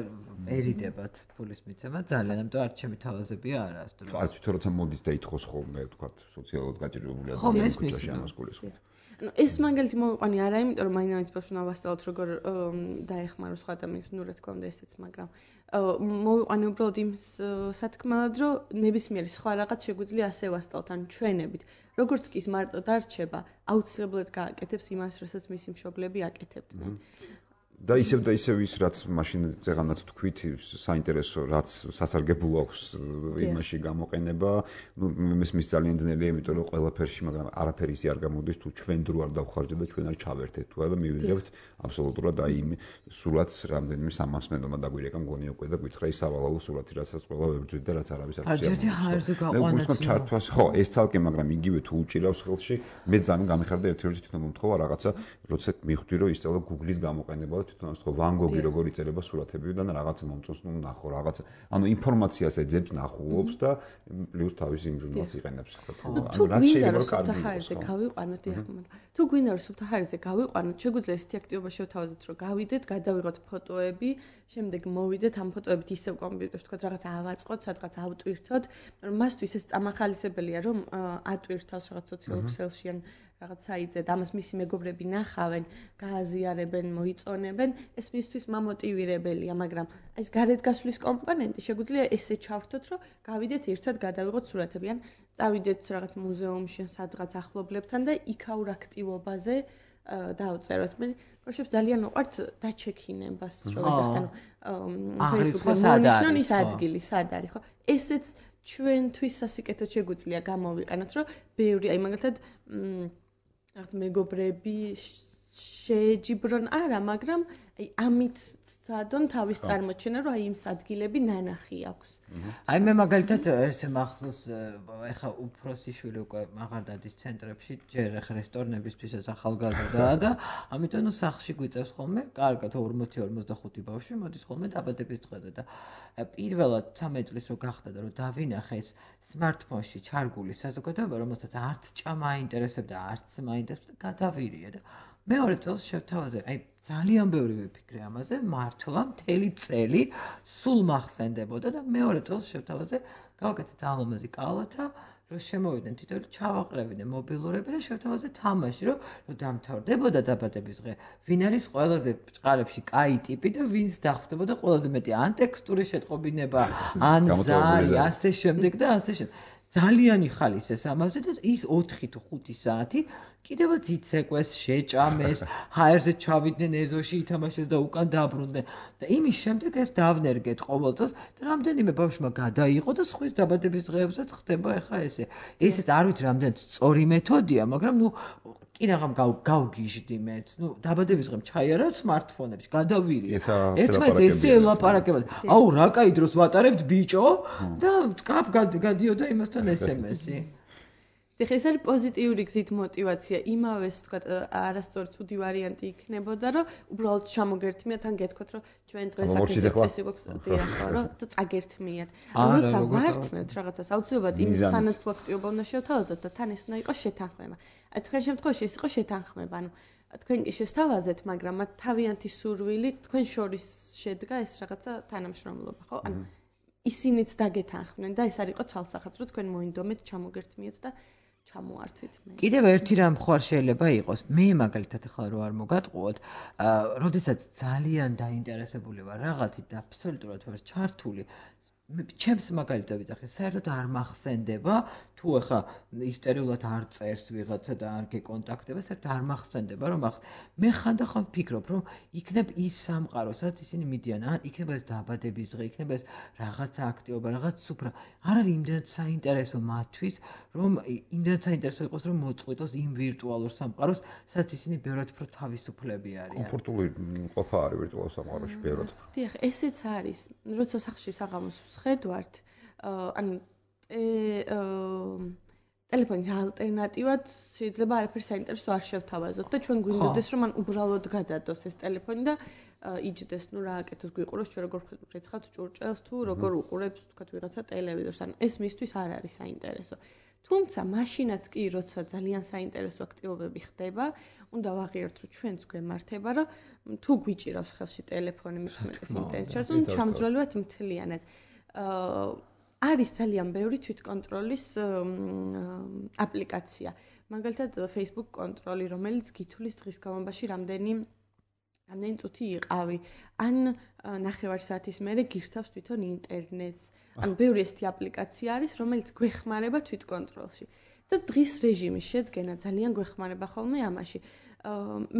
ერიდებათ ფულის მიცემა ძალიან, ამიტომ არ ჩემი თავაზებია არა ეს დრო.
აი თვითონ როცა მოდის და ითხოვს ხოლმე, თქვა, სოციალურად გაჭირვებული ადამიანი ქუჩაში ამას გულისხმობ.
ანუ ეს მაგალითი მოვიყვანე არა იმიტომ რომ მაინც ბავშვს უნდა ვასწავლოთ როგორ დაეხმაროს სხვა ადამიანს, ნუ რა თქმა უნდა ესეც, მაგრამ მოვიყვანე უბრალოდ იმ სათქმელად რომ ნებისმიერი სხვა რაღაც შეგვიძლია ასე ვასწავლოთ, ანუ ჩვენებით. როგორც კი ის მარტო დარჩება, აუცილებლად გააკეთებს იმას, რასაც მისი მშობლები აკეთებდნენ.
და ისევ ის რაც მაშინ ზეღანაც თქვით საინტერესო რაც სასარგებლო აქვს იმაში გამოყენება, ნუ მის ძალიან ძნელია, იმიტომ რომ ყველაფერში, მაგრამ არაფერი ისე არ გამოდის, თუ ჩვენ დრო არ დავხარჯეთ და ჩვენ არ ჩავერთეთ თუ და მივიღებთ აბსოლუტურად აი იმ სულაც რამდენიმე სამასმენელმა დაგვირეკა მგონი უკვე და გითხრა ის სავალალო სულათი, რასაც ყველა ვებრძვით და რაც არავის არ შეაძლოა. ხო, ეს ცალკე, მაგრამ იგივე თუ უჭირავს ხელში, მე ძალიან გამიხარდა ერთ-ერთი თვითონ მომთხოვა რაღაცა, როცა მივხვდი რომ ისწავლა Google-ის გამოყენება თვითონ ხო ვან გოგი როგორ იწერება სურათებიდან რაღაცა მომწონს, ნუ ნახო რაღაცა. ანუ ინფორმაციას ეძებს, ნახულობს და პლუს თავის იმ ჟურნალს იყენებს.
ანუ რაც შეიძლება რომ კარგი იყოს. გავიყვანოთ ახლა. თუ გვინდა რომ სუფთაჰარიზე გავიყვანოთ, შეგვიძლია ესეთი აქტივობა შევთავაზოთ, რომ გავიდეთ, გადავიღოთ ფოტოები, შემდეგ მოვიდეთ ამ ფოტოებით ისევ კომპიუტერში, თქვა რაღაც ავაწყოთ, სადღაც ავტვირთოთ. მასთვის ეს წამახალისებელია, რომ ატვირთავს რაღაც სოციალურ ქსელში ან რაღაც საიტზე და ამას მისი მეგობრები ნახავენ, გააზიარებენ, მოიწონებენ, ეს მისთვის მამოტივირებელია, მაგრამ ეს გარეთ გასვლის კომპონენტი შეგვიძლია ესე ჩავრთოთ, რომ გავიდეთ ერთად გადავიღოთ სურათები, ან წავიდეთ რაღაც მუზეუმში, სადღაც ახლობლებთან და იქაურ აქტივობაზე დავწეროთ. მე ბავშვებს ძალიან უყვართ დაჩექინებას, რომ ვეძახთ, ანუ Facebook-ზე მონიშნონ ის ადგილი, სად არის, ხო? ესეც ჩვენთვის სასიკეთოდ შეგვიძლია გამოვიყენოთ, რომ ბევრი, აი მაგალითად რაღაც მეგობრები შეეჯიბრონ არა, მაგრამ აი ამით სადონ თავის წარმოჩენა, რომ აი იმ ადგილები ნანახი აქვს.
აი მე მაგალითად ესე მახსოვს ეხა უფროსი შვილი უკვე აღარ დადის ცენტრებში, ჯერ ეხა რესტორნებისთვისაც ახალგაზრდაა და ამიტომ ნუ სახლში გვიწევს ხოლმე, კარგად 40-45 ბავშვი მოდის ხოლმე დაბადების დღეზე და პირველად 13 წლის რო გახდა და რომ დავინახე ეს smartphone-ში ჩარგული საზოგადოება, რომელსაც არც ჭამა აინტერესებდა, არც მაინტერესებდა, გადავირია და მეორე წელს შევთავაზე, აი ძალიან ბევრი ვიფიქრე ამაზე, მართლა მთელი წელი სულ მახსენდებოდა და მეორე წელს შევთავაზე, გავაკეთე ძალამაზი კალათა, რომ შემოვიდნენ თითოეული ჩავაყრევინე მობილურები და შევთავაზე თამაში, რომ დამთავრდებოდა დაბადების დღე. ვინ არის ყველაზე ბჭყალებში კაი ტიპი და ვინს დახვდებოდა ყველაზე მეტი ან ტექსტური შეტყობინება, ან ზარი, ასე შემდეგ და ასე შემდეგ. ძალიან იხალისეს ამაზე და ის 4 თუ 5 საათი კიდევაც იცეკვეს, შეჭამეს, ჰაერზე ჩავიდნენ ეზოში, ითამაშეს და უკან დაბრუნდნენ. და იმის შემდეგ ეს დავნერგეთ ყოველ წელს და რამდენიმე ბავშვმა გადაიღო და სხვის დაბადების დღეებსაც ხდება ახლა ესე. ესეც არ ვიცი რამდენად სწორი მეთოდია, მაგრამ ნუ კი რაღაც გავგიჟდი მეც. ნუ დაბადების დღემ ჩაიარა smartphone-ებში, გადავირი. ერთმანეთს ესე ელაპარაკებოდნენ. აუ რა კაი დროს ვატარებთ ბიჭო და კაპ გადიოდა იმასთან SMS-ი.
ეხლა ეს არის პოზიტიური გზით мотиваცია, იმავეს თქვათ არასწორი ცუდი ვარიანტი იქნებოდა, რომ უბრალოდ ჩამოგერთმიათ, ან გეთქვათ, რომ ჩვენ დღეს აქ გვაქვს რომ წაგერთმიათ. როცა ვართმევთ რაღაცას, აუცილებლად იმ სანაცვლო აქტივობა უნდა შევთავაზოთ და თან ეს უნდა იყოს შეთანხმება. აი თქვენ შემთხვევაში ეს იყო შეთანხმება, ანუ თქვენ კი შესთავაზეთ, მაგრამ მათ თავიანთი სურვილი თქვენ შორის შედგა ეს რაღაცა თანამშრომლობა, ხო? ანუ ისინიც დაგეთანხმდნენ და ეს არ იყო ცალსახად, რომ თქვენ მოინდომეთ, ჩამოგერთმიათ და ჩამოართვით მე.
კიდევ ერთი რამ ხარ შეიძლება იყოს. მე მაგალითად ახლა რო არ მოგატყუოთ, როდესაც ძალიან დაინტერესებული ვარ რაღაცით და აბსოლუტურად ვარ ჩართული, ჩემს მაგალითად ვიძახე, საერთოდ არ მახსენდება, თუ ახლა ისტორიულად არ წერს ვიღაცა და არ გეკონტაქტება, საერთოდ არ მახსენდება, რომ მე ხანდახან ვფიქრობ, რომ იქნებ ის სამყარო, სადაც ისინი მიდიან, ან იქნება ეს დაბადების დღე, იქნება ეს რაღაცა აქტივობა, რაღაც სუფრა. არ არის იმდენად საინტერესო მათთვის, რომ იმდენად საინტერესო იყოს, რომ მოწყვიტოს იმ ვირტუალურ სამყაროს, სადაც ისინი ბევრად უფრო თავისუფლები არიან.
კომფორტული ყოფა არის ვირტუალურ სამყაროში ბევრად.
დიახ, ესეც არის. როცა სახლში საღამოს ვხედავთ, ანუ ტელეფონის ალტერნატივად შეიძლება არაფერს საინტერესო არ შევთავაზოთ და ჩვენ გვინდოდეს რომ მან უბრალოდ გადადოს ეს ტელეფონი და იჯდეს, ნუ რა აკეთოს, გვიყუროს ჩვენ როგორ ვრეცხავთ ჭურჭელს თუ როგორ უყურებს თქვათ ვიღაცა ტელევიზორს, ანუ ეს მისთვის არ არის საინტერესო. თუმცა მაშინაც კი როცა ძალიან საინტერესო აქტივობები ხდება, უნდა ვაღიაროთ რომ ჩვენც გვემართება რომ თუ გვიჭირავს ხელში ტელეფონი მithumetes ინტერნეტში, რომ ჩამძვრელოთ მთლიანად. არის ძალიან ბევრი თვითკონტროლის აპლიკაცია. მაგალითად Facebook კონტროლი, რომელიც გითვლის დღის განმავლობაში რამდენი წუთი იყავი, ან ნახევარ საათის მერე გირთავს თვითონ ინტერნეტს. ანუ ბევრი ესეთი აპლიკაცია არის, რომელიც გვეხმარება თვითკონტროლში. და დღის რეჟიმის შედგენა ძალიან გვეხმარება ხოლმე ამაში.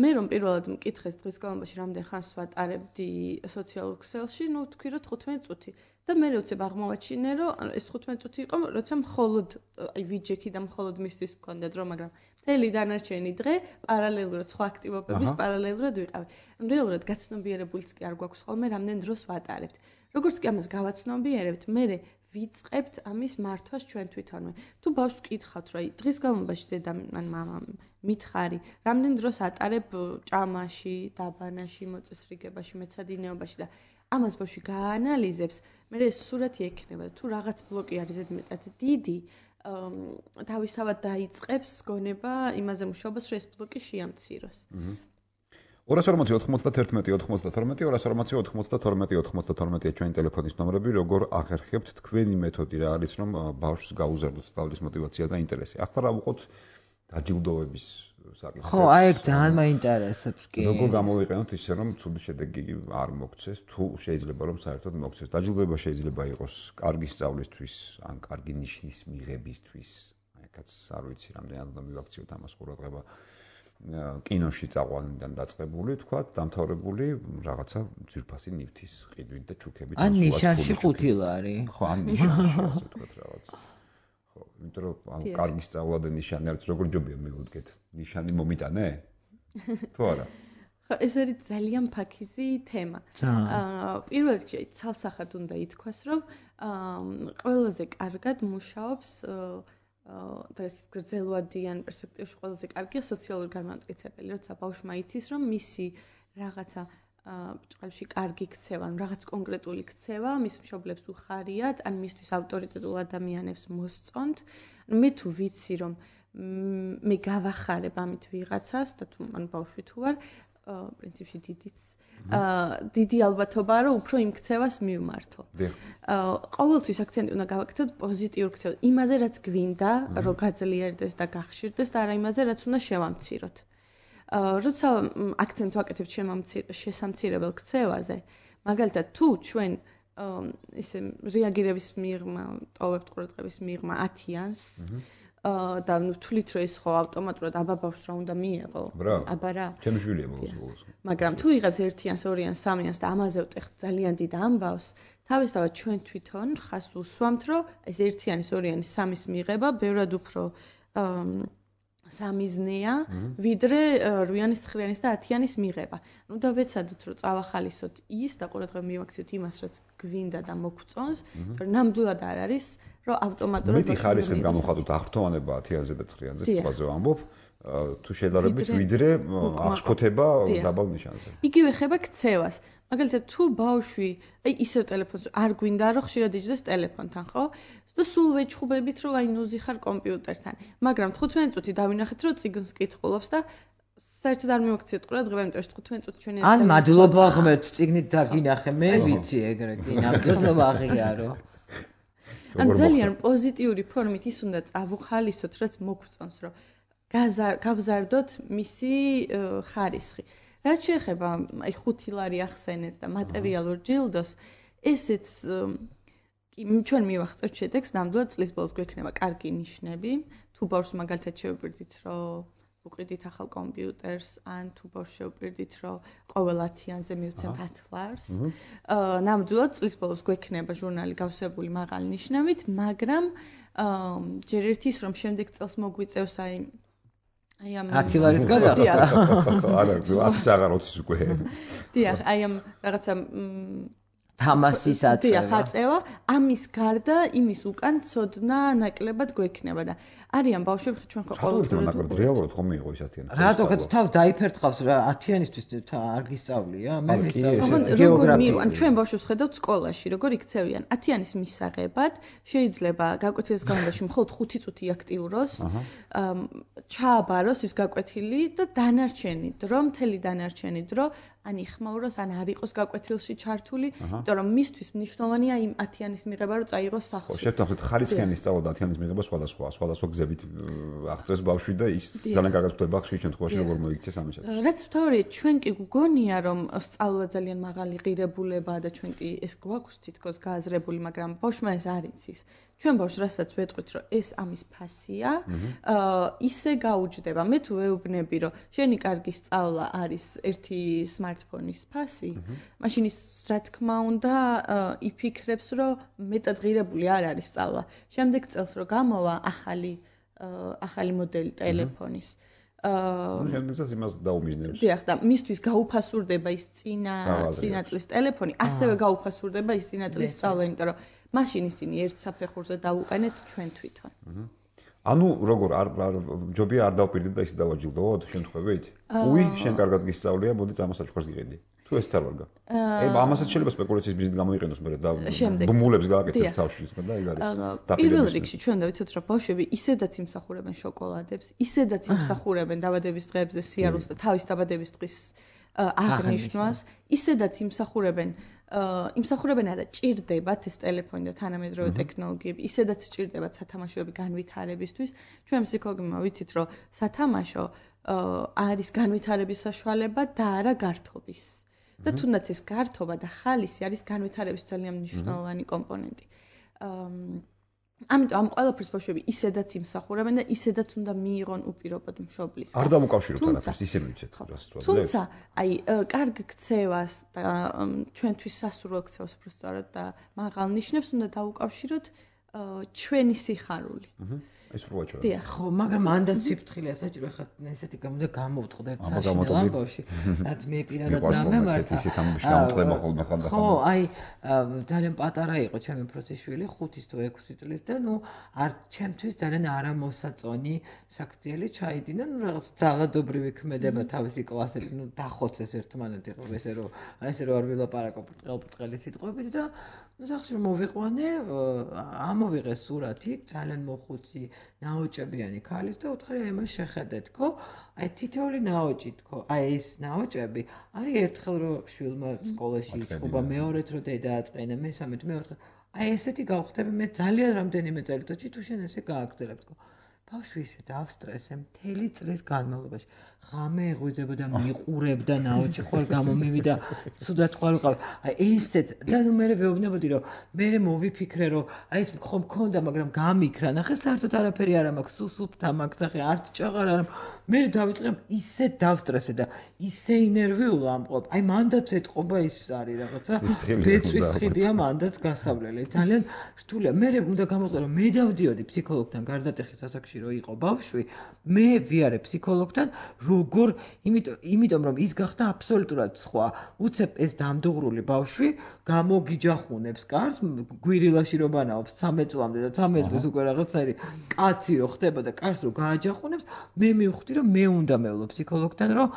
მე რომ პირველად მკითხეს დღის განმავლობაში რამდენ ხანს ვატარებდი სოციალურ ქსელში, ნუ თქვი რომ 15 წუთი. და მე როცა აღმოვაჩინე, რომ ეს 15 წუთი იყო, როცა მხოლოდ აი ვიჯექი და მხოლოდ მისთვის მქონდა დრო, მაგრამ მთელი დანარჩენი დღე პარალელურად სხვა აქტივობების პარალელურად ვიყავი. რეალურად გაცნობიერებულიც კი არ გვაქვს ხოლმე რამდენ დროს ვატარებთ. როგორც კი ამას გავაცნობიერებთ, მე ვიწყებთ ამის მართვას ჩვენ თვითონვე. თუ ბავშვს ვკითხავთ, რომ აი დღის განმავლობაში დედამ ან მამამ მითხარი, რამდენ დროს ატარებ ჭამაში, დაბანაში, მოწესრიგებაში, მეცადინეობაში და ამას ბავშვი გაანალიზებს, მე ეს სურათი ექნება და თუ რაღაც ბლოკი არის ზედმეტად დიდი, თავისთავად დაიწყებს გონება იმაზე მუშაობას, რომ ეს ბლოკი შეამციროს.
240-92-240-240-92-92 ჩვენი ტელეფონის ნომრები, როგორ აღერხებთ თქვენი მეთოდი რა არის, რომ ბავშვს გაუზარდოთ სწავლის мотиваცია და ინტერესი. ახლა რა ვუყოთ დაჯილდოების საკითხი.
ხო, აი ეგ ძალიან მაინტერესებს კი.
როგორ გამოვიყენოთ ისე, რომ ცუდი შედეგი არ მოგცეს, თუ შეიძლება რომ საერთოდ მოგცეს. დაჯილდოება შეიძლება იყოს კარგი სწავლისთვის, ან კარგი ნიშნის მიღებისთვის. აიქაც არ ვიცი, რამდენად უნდა მივაქციოთ ამას ყურადღება. კინოში წაყვანიდან დაწყებული, თქვა, დამთავრებული რაღაცა ძვირფასი ნივთის ყიდვით და ჩუქებით.
ან ნიშანში 5 ლარი.
ხო, ან ნიშანში ასე თქვა რაღაცა. ხო, იმიტომ რომ კარგი სწავლა და ნიშანი არის, როგორ ჯობია მივუდგეთ. ნიშანი მომიტანე? თუ არა?
ეს არის ძალიან ფაქიზი თემა. პირველ რიგში ცალსახად უნდა ითქვას, რომ ყველაზე კარგად მუშაობს და ეს გრძელვადიან პერსპექტივაში ყველაზე კარგია სოციალური განმანათლებელი, როცა ბავშვმა იცის, რომ მისი რაღაცა ბჭყალში კარგი ქცევა, ან რაღაც კონკრეტული ქცევა მის მშობლებს უხარიათ, ან მისთვის ავტორიტეტულ ადამიანებს მოსწონთ. მე თუ ვიცი, რომ მე გავახარებ ამით ვიღაცას და თუ მან ბავშვი თუ არ პრინციპში დიდი ალბათობაა, რომ უფრო იმ ქცევას მივმართო. ყოველთვის აქცენტი უნდა გავაკეთოთ პოზიტიურ ქცევაზე, იმაზე, რაც გვინდა, რომ გაძლიერდეს და გახშირდეს და არა იმაზე, რაც უნდა შევამციროთ. როცა აქცენტს ვაკეთებ შესამცირებელ ქცევაზე, მაგალითად, თუ ჩვენ ისე რეაგირების მიღმა, ტოვებთ ყურადღების მიღმა 10-იანს, და ვთვლით, რომ ეს ხო ავტომატურად აბა ბავშვს რა უნდა მიეღო? აბა რა?
ჩემი შვილია ბოლოს.
მაგრამ თუ იღებს 1-იანს, 2-იანს, 3-იანს და ამაზე ვტეხთ ძალიან დიდ ამბავს, თავისთავად ჩვენ თვითონ ხას უსვამთ, რომ ეს 1-იანის, 2-იანის, 3-ის მიღება ბევრად უფრო სამიზნეა, ვიდრე 8-იანის, 9-იანის და 10-იანის მიღება. ნუ და ვეცადოთ, რომ წავახალისოთ ის და ყურადღება მივაქციოთ იმას, რაც გვინდა და მოგწონს, რომ ნამდვილად არ არის, რომ ავტომატურად
მეტი ხარისხით გამოხატოთ აღფრთოვანება 10-იანზე და 9-იანზე, სიტყვაზე ვამბობ, თუ შედარებით ვიდრე აღშფოთება დაბალ ნიშანზე.
იგივე ხება ქცევას. მაგალითად, თუ ბავშვი, აი ისევ ტელეფონს არ გვინდა, რომ ხშირად იჯდეს ტელეფონთან, ხო? და სულ ვეჩხუბებით, რომ აი ნუზი ხარ კომპიუტერთან. მაგრამ 15 წუთი დავინახეთ, რომ წიგნს კითხულობს და საერთოდ არ მივაქციოთ ყურადღება, იმიტომ რომ 15 წუთი ჩვენი
ან მადლობა ღმერთს, წიგნით დაგინახე, მე ვიცი ეგრე, კი, ნამდვილად აღიარო.
ან ძალიან პოზიტიური ფორმით ის უნდა წავუხალისოთ, რაც მოგწონს, რომ გავზარდოთ მისი ხარისხი. რაც შეეხება აი 5 ლარი ახსენეთ და მატერიალურ ჯილდოს, ესეც კი ჩვენ მივახცევთ შედეგს, ნამდვილად წლის ბოლოს გვექნება კარგი ნიშნები. თუ ბავშვს მაგალითად შევპირდით, რომ უყიდით ახალ კომპიუტერს, ან თუ ბავშვს შევპირდით, რომ ყოველ 10-იანზე მივცემთ 10 ლარს. ნამდვილად წლის ბოლოს გვექნება ჟურნალი გავსებული მაღალი ნიშნებით, მაგრამ ჯერ ერთი ის, რომ შემდეგ წელს მოგვიწევს აი ამ
10 ლარის გადახდა.
არა, 10-ის აღარ 20-ის უკვე.
დიახ, აი ამ რაღაცა
თამასის აწევა.
დიახ, აწევა, ამის გარდა იმის უკან ცოდნა ნაკლებად გვექნება და არიან ბავშვები ჩვენ ხო
ყოველდღე ნაკლებად რეალურად ხომ მიიღო ის 10-იანი.
რატო თავს დაიფერთხავს რა 10-იანისთვის არ გისწავლია? მე
ვიცი. როგორ მივან ჩვენ ბავშვებს ხედავთ სკოლაში, როგორ იქცევიან 10-იანის მისაღებად, შეიძლება გაკვეთილის განმავლობაში მხოლოდ 5 წუთი აქტიუროს, ჩააბაროს ის გაკვეთილი და დანარჩენი დრო, მთელი დანარჩენი დრო ან იხმაუროს, ან არ იყოს გაკვეთილში ჩართული, იმიტომ რომ მისთვის მნიშვნელოვანია იმ 10-იანის მიღება, რომ წაიღოს სახლში.
ხო, შევთანხმდით, ხარისხიანი სწავლა და 10-იანის მიღება სხვადასხვა გზებით აღწევს ბავშვი და ის ძალიან კარგად ხდება ხშირ შემთხვევაში, როგორ მოიქცეს ამისათვის.
რაც მთავარია, ჩვენ კი გვგონია, რომ სწავლა ძალიან მაღალი ღირებულებაა და ჩვენ კი ეს გვაქვს თითქოს გააზრებული, მაგრამ ბავშვმა ეს არ იცის. ჩვენ ბავშვს რასაც ვეტყვით, რომ ეს ამის ფასია, ისე გაუჯდება. მე თუ ვეუბნები, რომ შენი კარგი სწავლა არის ერთი სმარტფონის ფასი, მაშინ ის რა თქმა უნდა იფიქრებს, რომ მეტად ღირებული არ არის სწავლა. შემდეგ წელს რო გამოვა ახალი მოდელი ტელეფონის.
შემდეგ წელს იმას დაუმიზნებს.
დიახ, და მისთვის გაუფასურდება ის წინა წლის ტელეფონი, ასევე გაუფასურდება ის წინა წლის სწავლა, იმიტომ რომ მაშინ ისინი ერთ საფეხურზე დაუყენეთ ჩვენ თვითონ.
ანუ როგორ ჯობია არ დავპირდეთ და ისე დავაჯილდოვოთ შემთხვევით? უი, შენ კარგად გისწავლია, მოდი წამოსაჩუქარს გიყიდი. თუ ეს არ ვარგა. ამასაც შეიძლება სპეკულაციის ბიზნესით გამოიყენოს, მე და ბუმულებს გააკეთებს თავში და ეგ არის.
პირველ რიგში ჩვენ უნდა ვიცოთ, რომ ბავშვები ისედაც იმსახურებენ შოკოლადებს, ისედაც იმსახურებენ დაბადების დღეებზე სიარულს და თავის დაბადების დღის აღნიშვნას, ისედაც იმსახურებენ არა, ჭირდებათ ეს ტელეფონი და თანამედროვე ტექნოლოგიები, ისედაც ჭირდებათ სათამაშოები განვითარებისთვის. ჩვენ ფსიქოლოგებმა ვიცით, რომ სათამაშო არის განვითარების საშუალება და არა გართობის. და თუნდაც ეს გართობა და ხალისი არის განვითარების ძალიან მნიშვნელოვანი კომპონენტი. ამიტომ ამ ყველაფერს ბავშვები ისედაც იმსახურებენ და ისედაც უნდა მიიღონ უპირობოდ მშობლის.
არ დამოკავშიროთ არაფერს, ისე მივიცეთ რას თქვა.
თუმცა, აი, კარგ ქცევას და ჩვენთვის სასურველ ქცევას უბრალოდ და მაღალ ნიშნებს უნდა დაუკავშიროთ ჩვენი სიხარული.
ეს უბრალოდ.
დიახ.
ხო, მაგრამ მანდაც სიფრთხილეა საჭირო, ხა ესეთი გამოდა გამოვწყდეთ საშინელ ამბავში. რაც მე პირადად დამემართა.
ისეთ ამბავში გამოვწყდება ხოლმე ხან და ხან.
ხო, აი ძალიან პატარა იყო ჩემი პროცესშვილი 5 თუ 6 წლის და ნუ არ ჩემთვის ძალიან არამოსაწონი საქციელი ჩაიდინა, ნუ რაღაც ძალადობრივი ქმედება თავისი კლასით, ნუ დახოცეს ერთმანეთი ხო ესე რომ არ ვილაპარაკო ბრტყელი სიტყვებით და სახში მოვიყვანე, ამოვიღე სურათი, ძალიან მოხუცი, ნაოჭებიანი ქალის და უთხრე ემას შეხედეთ, ხო? აი თითოეული ნაოჭი თქო, აი ეს ნაოჭები არის ერთხელ რომ შვილმა სკოლაში იწყობა, მეორეთ რომ დედა აწყენა, მესამედ, მეოთხე. აი ესეთი გავხდები მე ძალიან რამდენიმე წელიწადში თუ შენ ესე გააგრძელებ თქო. ბავშვი ისე დავსტრესე მთელი წლის განმავლობაში. ღამე ეღვიძებოდა, მიყურებდა ნაოჭი ხوار გამომივიდა, ცუდად ხوار ვიყავ. აი ესეც და ნუ მე ვეუბნებოდი რომ მე მოვიფიქრე რომ აი ეს ხომ მქონდა, მაგრამ გამიქრა. ნახე საერთოდ არაფერი არ მაქვს, სუსუფთა მაგცახე არც ჭაღარ არ მე დავიწყე ისე დავსტრესე და ისე ინერვიულ ამყობ. აი მანდაც ეთყობა ის არის რაღაცა ბეწვის ხიდია მანდაც გასავლელი. ძალიან რთულია. მე უნდა გამოვიყო რომ მე დავდიოდი ფსიქოლოგთან გარდატეხის ასაკში რო იყო ბავშვი, მე ვიარე ფსიქოლოგთან როგორ იმიტომ რომ ის გახდა აბსოლუტურად სხვა. უცებ ეს დამდუღრული ბავშვი გამოგიჯახუნებს კარს, გვირილაში რო ბანაობს 13 წლამდე და 13 წლის უკვე რაღაცნაირი კაცი რო ხდება და კარს რო გააჯახუნებს, მე მივხვდი რომ მე უნდა მევლო ფსიქოლოგთან, რომ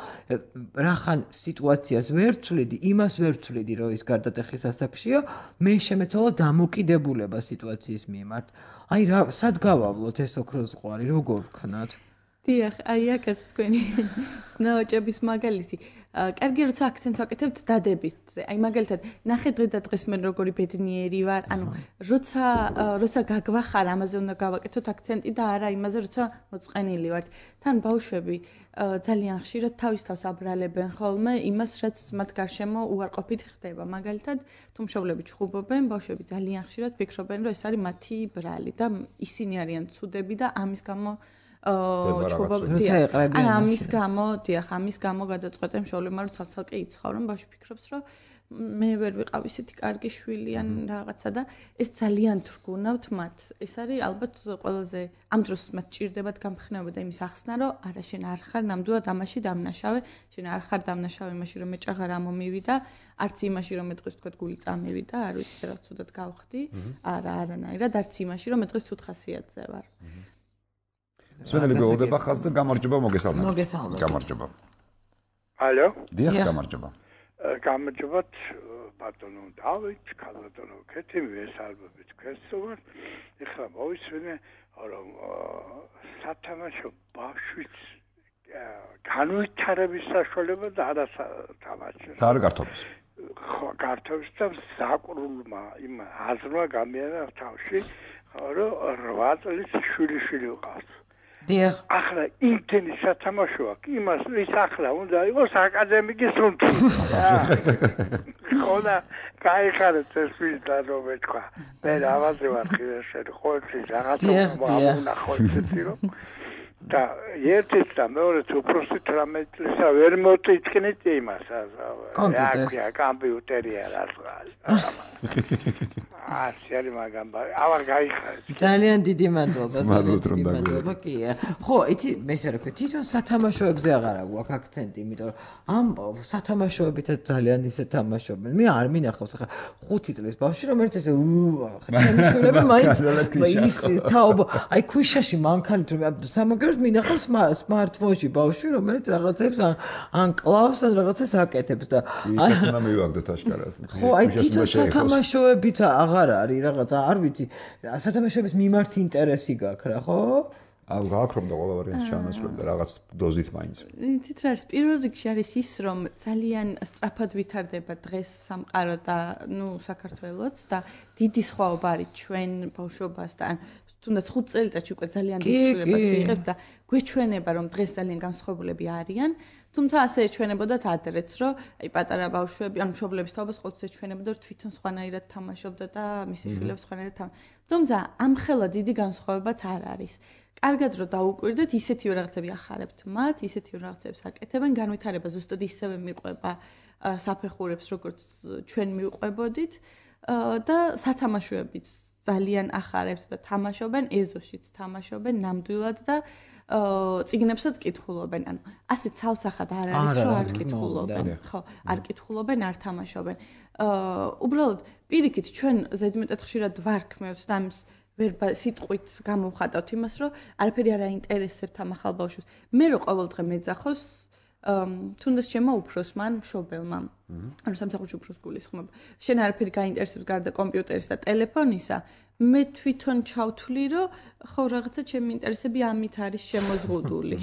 რახან სიტუაციას ვერ ვცვლიდი, იმას ვერ ვცვლიდი, რომ ის გარდატეხის ასაკშია, მე შემეცვალა დამოკიდებულება სიტუაციის მიმართ. აი რა, სად გავავლოთ ეს ოქროს ზღვარი, როგორ ვქნათ?
დიახ, აი აქაც თქვენი ნაოჭების მაგალითი. კარგი როცა აქცენტს ვაკეთებთ დადებითზე. აი მაგალითად, ნახე დღე და დღეს მე როგორი ბედნიერი ვარ. ანუ როცა გაგვახარ, ამაზე უნდა გავაკეთოთ აქცენტი და არა იმაზე, როცა მოწყენილი ვართ. თან ბავშვები ძალიან ხშირად თავის თავს აბრალებენ ხოლმე იმას, რაც მათ გარშემო უარყოფით ხდება. მაგალითად, თუ მშობლები ჩხუბობენ, ბავშვები ძალიან ხშირად ფიქრობენ, რომ ეს არის მათი ბრალი და ისინი არიან ცუდები და ამის გამო ამის გამო გადაწყვეტენ მშობლებმა რომ ცალ-ცალკე იცხოვრონ, ბავშვი ფიქრობს რომ მე ვერ ვიყავ ისეთი კარგი შვილი ან რაღაცა და ეს ძალიან თრგუნავთ მათ. ეს არის ალბათ ყველაზე ამ დროს მათ ჭირდებათ გამხნეობა და იმის ახსნა, რომ არა შენ არ ხარ ნამდვილად ამაში დამნაშავე, შენ არ ხარ დამნაშავე იმაში რომ მე ჭაღარ ამომივიდა, არც იმაში რომ მე დღეს თქვათ გული წამივიდა, არ ვიცი რა ცუდად გავხდი, არა არანაირად, არც იმაში რომ მე დღეს ცუდ ხასიათზე ვარ.
სვენელი გეულდება ხაზზე, გამარჯობა, მოგესალმებით.
მოგესალმებით.
გამარჯობა.
ალო?
დიახ, გამარჯობა.
გამარჯობათ, ბატონო დავით, ქალბატონო ქეთი, ვესალმებით ქესოვარ. ეხლა მოვისვენე, რომ სათამაშო ბავშვის განვითარების საშუალება და არა თამაშის.
და არ გართობის.
ხო, გართობის და საკრულმა იმ აზრმა გამიანა თავში, რომ 8 წლის შვილი ვიყავს.
დიახ.
ახლა იმთენი სათამაშო აქვს, იმას ის ახლა უნდა იყოს აკადემიკის სუნთი. ხოდა გაიხარეთ ეს ვიდა რომ მეთქვა. მე რავაზე ვარ ხილაშენ, ყოველთვის რაღაცა მომუნახოთ რომ და ერთიც და მეორეც უბრალოდ 18 წლისა ვერ მოტიჭკნით იმას.
კომპიუტერს.
კომპიუტერია რა. სერი მაგამ ავარ გაიხარეთ.
ძალიან დიდი მადლობა.
მადლობთ რომ დაგვიერთდით.
კია. ხო, იცი, მე ესე რა ვქო, თვითონ სათამაშოებზე აღარ აქვს აქცენტი, იმიტომ რომ ამ სათამაშოებითაც ძალიან ისე თამაშობენ. მე არ მინახავს ახლა 5 წლის ბავშვი რომ ერთ ესე ჩემი შვილები მაინც ის თაობა, აი ქვიშაში მანქანით რომ სამაგერად მინახავს smartphone-ში ბავშვი რომელიც რაღაცებს ან კლავს ან რაღაცას აკეთებს და
აი ეს უნდა მივაგდოთ აშკარას.
ხო, აი თვითონ სათამაშოებით აღარ არის რაღაცა, არ ვიცი, სათამაშოების მიმართ ინტერესი გაქვს რა, ხო?
გაქვს რომ და ყველა ვარიანტს ჩაანაცვლებდა რაღაც დოზით მაინც.
იცით რა არის, პირველ რიგში არის ის, რომ ძალიან სწრაფად ვითარდება დღეს სამყარო და ნუ საქართველოც და დიდი სხვაობა არის ჩვენ ბავშვობასთან. თუნდაც 5 წელიწადში უკვე ძალიან დიდ ცვლილებას ვიღებ და გვეჩვენება რომ დღეს ძალიან განსხვავებულები არიან. თუმცა ასე ეჩვენებოდათ ადრეც, რომ აი პატარა ბავშვები, ანუ მშობლების თაობას ყოველთვის ეჩვენებოდა, რომ თვითონ სხვანაირად თამაშობდა და მისი შვილებს სხვანაირად თამაშობდა. თუმცა ამხელა დიდი განსხვავებაც არ არის. კარგად რომ დაუკვირდეთ, ისეთივე რაღაცები ახარებთ მათ, ისეთივე რაღაცებს აკეთებენ, განვითარება ზუსტად ისევე მიყვება საფეხურებს, როგორც ჩვენ მივყვებოდით და სათამაშოებიც ძალიან ახარებს და თამაშობენ, ეზოშიც თამაშობენ ნამდვილად და წიგნებსაც კითხულობენ. ანუ ასე ცალსახად არ არის, რომ არ კითხულობენ. ხო, არ კითხულობენ, არ თამაშობენ. უბრალოდ პირიქით ჩვენ ზედმეტად ხშირად ვარქმევთ და ამის ვერ სიტყვით გამოვხატავთ იმას, რომ არაფერი არ აინტერესებთ ამ ახალ ბავშვებს. მე რო ყოველდღე მეძახოს თუნდაც ჩემო უფროსმა მშობელმა. ანუ სამსახურში უფროს გულისხმობ. შენ არაფერი გაინტერესებს გარდა კომპიუტერის და ტელეფონისა, მე თვითონ ჩავთვლი, რომ ხო რაღაცა ჩემი ინტერესები ამით არის შემოზღუდული.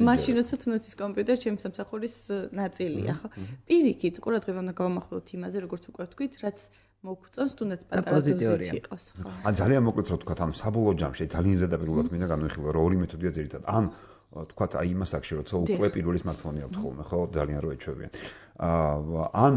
მაშინ როცა თუნდაც ის კომპიუტერი ჩემი სამსახურის ნაწილია, ხო? პირიქით, ყურადღება უნდა გავამახვილოთ იმაზე, როგორც უკვე ვთქვით, რაც მოგწონს თუნდაც პატარა დოზით იყოს, ხო?
ან ძალიან მოკლედ რო თქვა, ამ საბოლოო ჯამში ძალიან ზედაპირულად მინდა განვიხილო, რომ ორი მეთოდია ძირითადად. ან თქვა აი იმას აქში როცა უკვე პირველი smartphone აქვს ხოლმე, ხო, ძალიან რო ეჩვევიან. ან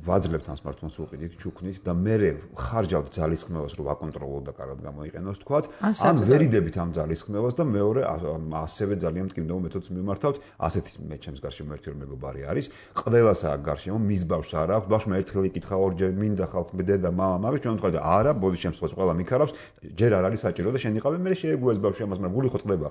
ვაძლევთ ამ smartphones უყიდით, ჩუქნით და მე ხარჯავთ ძალისხმევას რომ ვაკონტროლოთ და კარგად გამოიყენოს, თქვა, ან ვერიდებით ამ ძალისხმევას და მეორე ასევე ძალიან მტკივნეულ მეთოდს მიმართავთ. ასეთი მე ჩემს გარშემო ერთი რომ მეგობარი არის, ყველას აქვს გარშემო, მის ბავშვს არ აქვს, ბავშვმა ერთხელ იკითხა, ორჯერ მინდა ხალხი დედა, მამა, მაგის ჩვენ ვთქვა და არა, ბოდის შემთხვევაში ყველა მიქარავს, ჯერ არ არის საჭირო და შენ იყავი, მე შეეგუეს ბავშვი ამას, მაგრამ გული ხო წდება.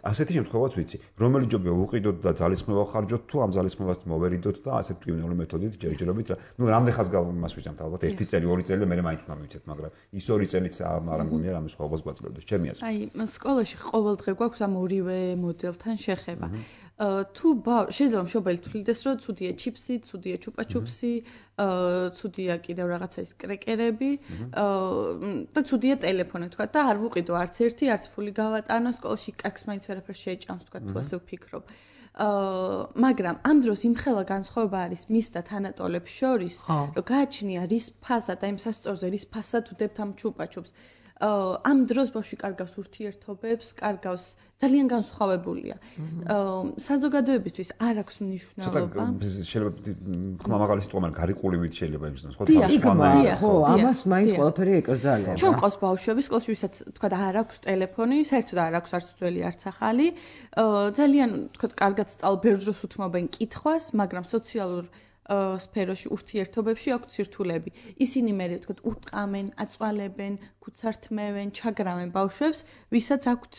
ასეთი შემთხვევაც ვიცი. რომელი ჯობია უყიდოთ და ძალისხმევა ხარჯოთ თუ ამ ძალისხმევას მოვერიდოთ და ასეთ მტკივნეულ მეთოდით ჯერჯერობით ნუ რამდენ ხანს მას ვიზამთ ალბათ 1 წელი 2 წელი და მე მაინც უნდა მივიცეთ მაგრამ ის 2 წელიც არ ამგონია რამე სხვაობას გვაძლევდეს ჩემი აზრით
აი სკოლაში ყოველდღე გვაქვს ამ ორივე მოდელთან შეხება თუ შეიძლება მშობელი თვლიდეს რომ ცუდია ჩიპსი, ცუდია ჩუპაჩუპსი, ცუდია კიდევ რაღაცა ის კრეკერები და ცუდია ტელეფონი თქვა და არ ვუყიდო არც ერთი, არც ფული გავატანო სკოლაში კაკს მაინც ვერაფერს შეეჭამს თქვა თუ ასე ვფიქრობ. მაგრამ ამ დროს იმხელა განსხვავება არის მის და თანატოლებს შორის, რომ გააჩნია რის ფასად, აი იმ სასწორზე რის ფასად უდებთ ამ ჩუპაჩუპს. ამ დროს ბავშვი კარგავს ურთიერთობებს, კარგავს ძალიან განსხვავებულია. საზოგადოებისთვის არ აქვს მნიშვნელობა.
შეიძლება ხმამაღალი სიტყვა, მაგრამ გარიყულივით შეიძლება იგრძნოს, ხო?
ხო, ამას მაინც ყველაფერი ეკრძალება.
ჩვენ ყავს ბავშვები, სკოლაში ვისაც თქვა არ აქვს ტელეფონი, საერთოდ არ აქვს არც ძველი, არც ახალი. ძალიან თქვა კარგად სწავლ, ბევრ დროს უთმობენ კითხვას, მაგრამ სოციალურ სფეროში ურთიერთობებში აქვს ცირთულები. ისინი მე ვთქვათ ურტყამენ, აწვალებენ, ქუცართმევენ, ჩაგრავენ ბავშვებს, ვისაც აქვთ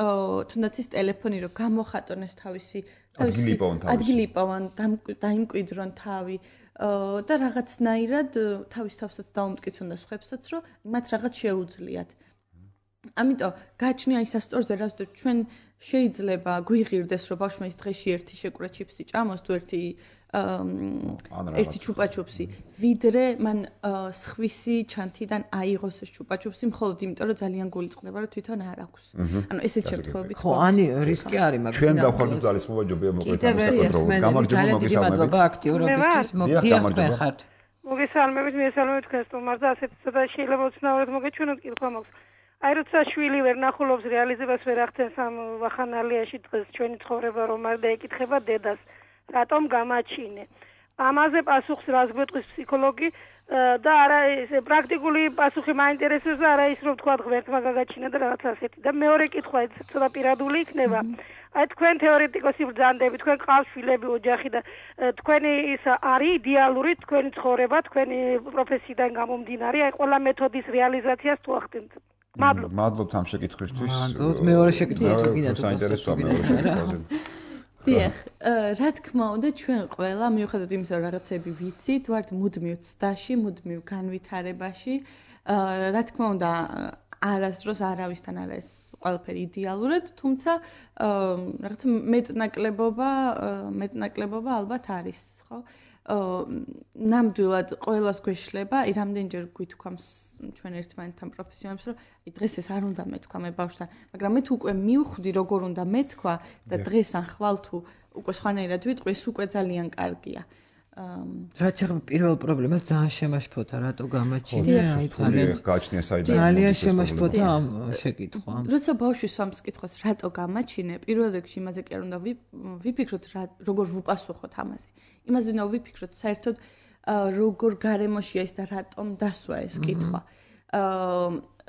თუნდაც ის ტელეფონი რომ გამოხატონეს თავისი ადგილიპოვან დაიმკვიდრონ თავი და რაღაცნაირად თავის თავსაც დაუმტკიცონ და სხვებსაც რომ მათ რაღაც შეუძლიათ. ამიტომ გააჩნია ის სასწორზე რაც ჩვენ შეიძლება გვიღირდეს რომ ბავშვმა ის დღეში ერთი შეკვრა ჩიპსი ჭამოს თუ ერთი ჩუპაჩუპსი ვიდრე მან სხვისი ჩანთიდან აიღოს ეს ჩუპაჩუპსი მხოლოდ იმიტომ რომ ძალიან გული წყდება რომ თვითონ არ აქვს. ანუ ესეთ შემთხვევებით
ხო, ანი რისკი არის მაგას.
ჩვენ დავხვდით ძალისხმევა ჯობია მოკლედ ამ საკონტროლო. გამარჯობა მოგესალმებით.
აქტიურობისთვის მოგდიახტენ ხართ.
მოგესალმებით, მიესალმებით თქვენ სტუმარს და ასეთ და შეიძლება უცნაურად მოგეჩვენოთ კითხვა მაქვს. აი როცა შვილი ვერ ნახულობს რეალიზებას ვერ ახდენს ამ ვახანალიაში დღეს ჩვენი ცხოვრება რომ არ დაეკითხება დედას რატომ გამაჩინე. ამაზე პასუხს რას გვეტყვის ფსიქოლოგი და არა ეს პრაქტიკული პასუხი მაინტერესებს და არა ის რომ თქვა ღმერთმა გაგაჩინა და რაღაც ასეთი. და მეორე კითხვა ეს ცოტა პირადული იქნება. აი თქვენ თეორეტიკოსი ბრძანდები, თქვენ ყავს შვილები, ოჯახი და თქვენი ის არის იდეალური თქვენი ცხოვრება, თქვენი პროფესიიდან გამომდინარე, აი ყველა მეთოდის რეალიზაციას თუ ახდენთ.
მადლობთ ამ შეკითხვისთვის.
მადლობთ მეორე შეკითხვა თუ გინდათ
საინტერესოა მეორე შეკითხვაზე.
დიახ, რა თქმა უნდა, ჩვენ ყველა მიუხედავად იმისა, რომ რაღაცები ვიცით, ვართ მუდმივ ცდაში, მუდმივ განვითარებაში. რა თქმა უნდა, არასდროს არავისთან არ არის ყველაფერი იდეალურად, თუმცა რაღაცა მეტნაკლებობა ალბათ არის, ხო? ნამდვილად ყველას გვეშლება, აი რამდენჯერ გვითქვამს ჩვენ ერთმანეთთან პროფესიონალებს, რომ აი დღეს ეს არ უნდა მეთქვა მე ბავშვთან, მაგრამ მე თუ უკვე მივხვდი როგორ უნდა მეთქვა და დღეს ან ხვალ თუ უკვე სხვანაირად ვიტყვი, ეს უკვე ძალიან კარგია.
რაც ახლა პირველ პრობლემას ძალიან შემაშფოთა, რატო გამაჩინე,
აი
ძალიან შემაშფოთა ამ შეკითხვა.
როცა ბავშვი სვამს კითხვას, რატო გამაჩინე, პირველ რიგში იმაზე კი არ უნდა ვიფიქროთ, როგორ ვუპასუხოთ ამაზე. იმაზე უნდა ვიფიქროთ, საერთოდ როგორ გარემოშია ის და რატომ დასვა ეს კითხვა.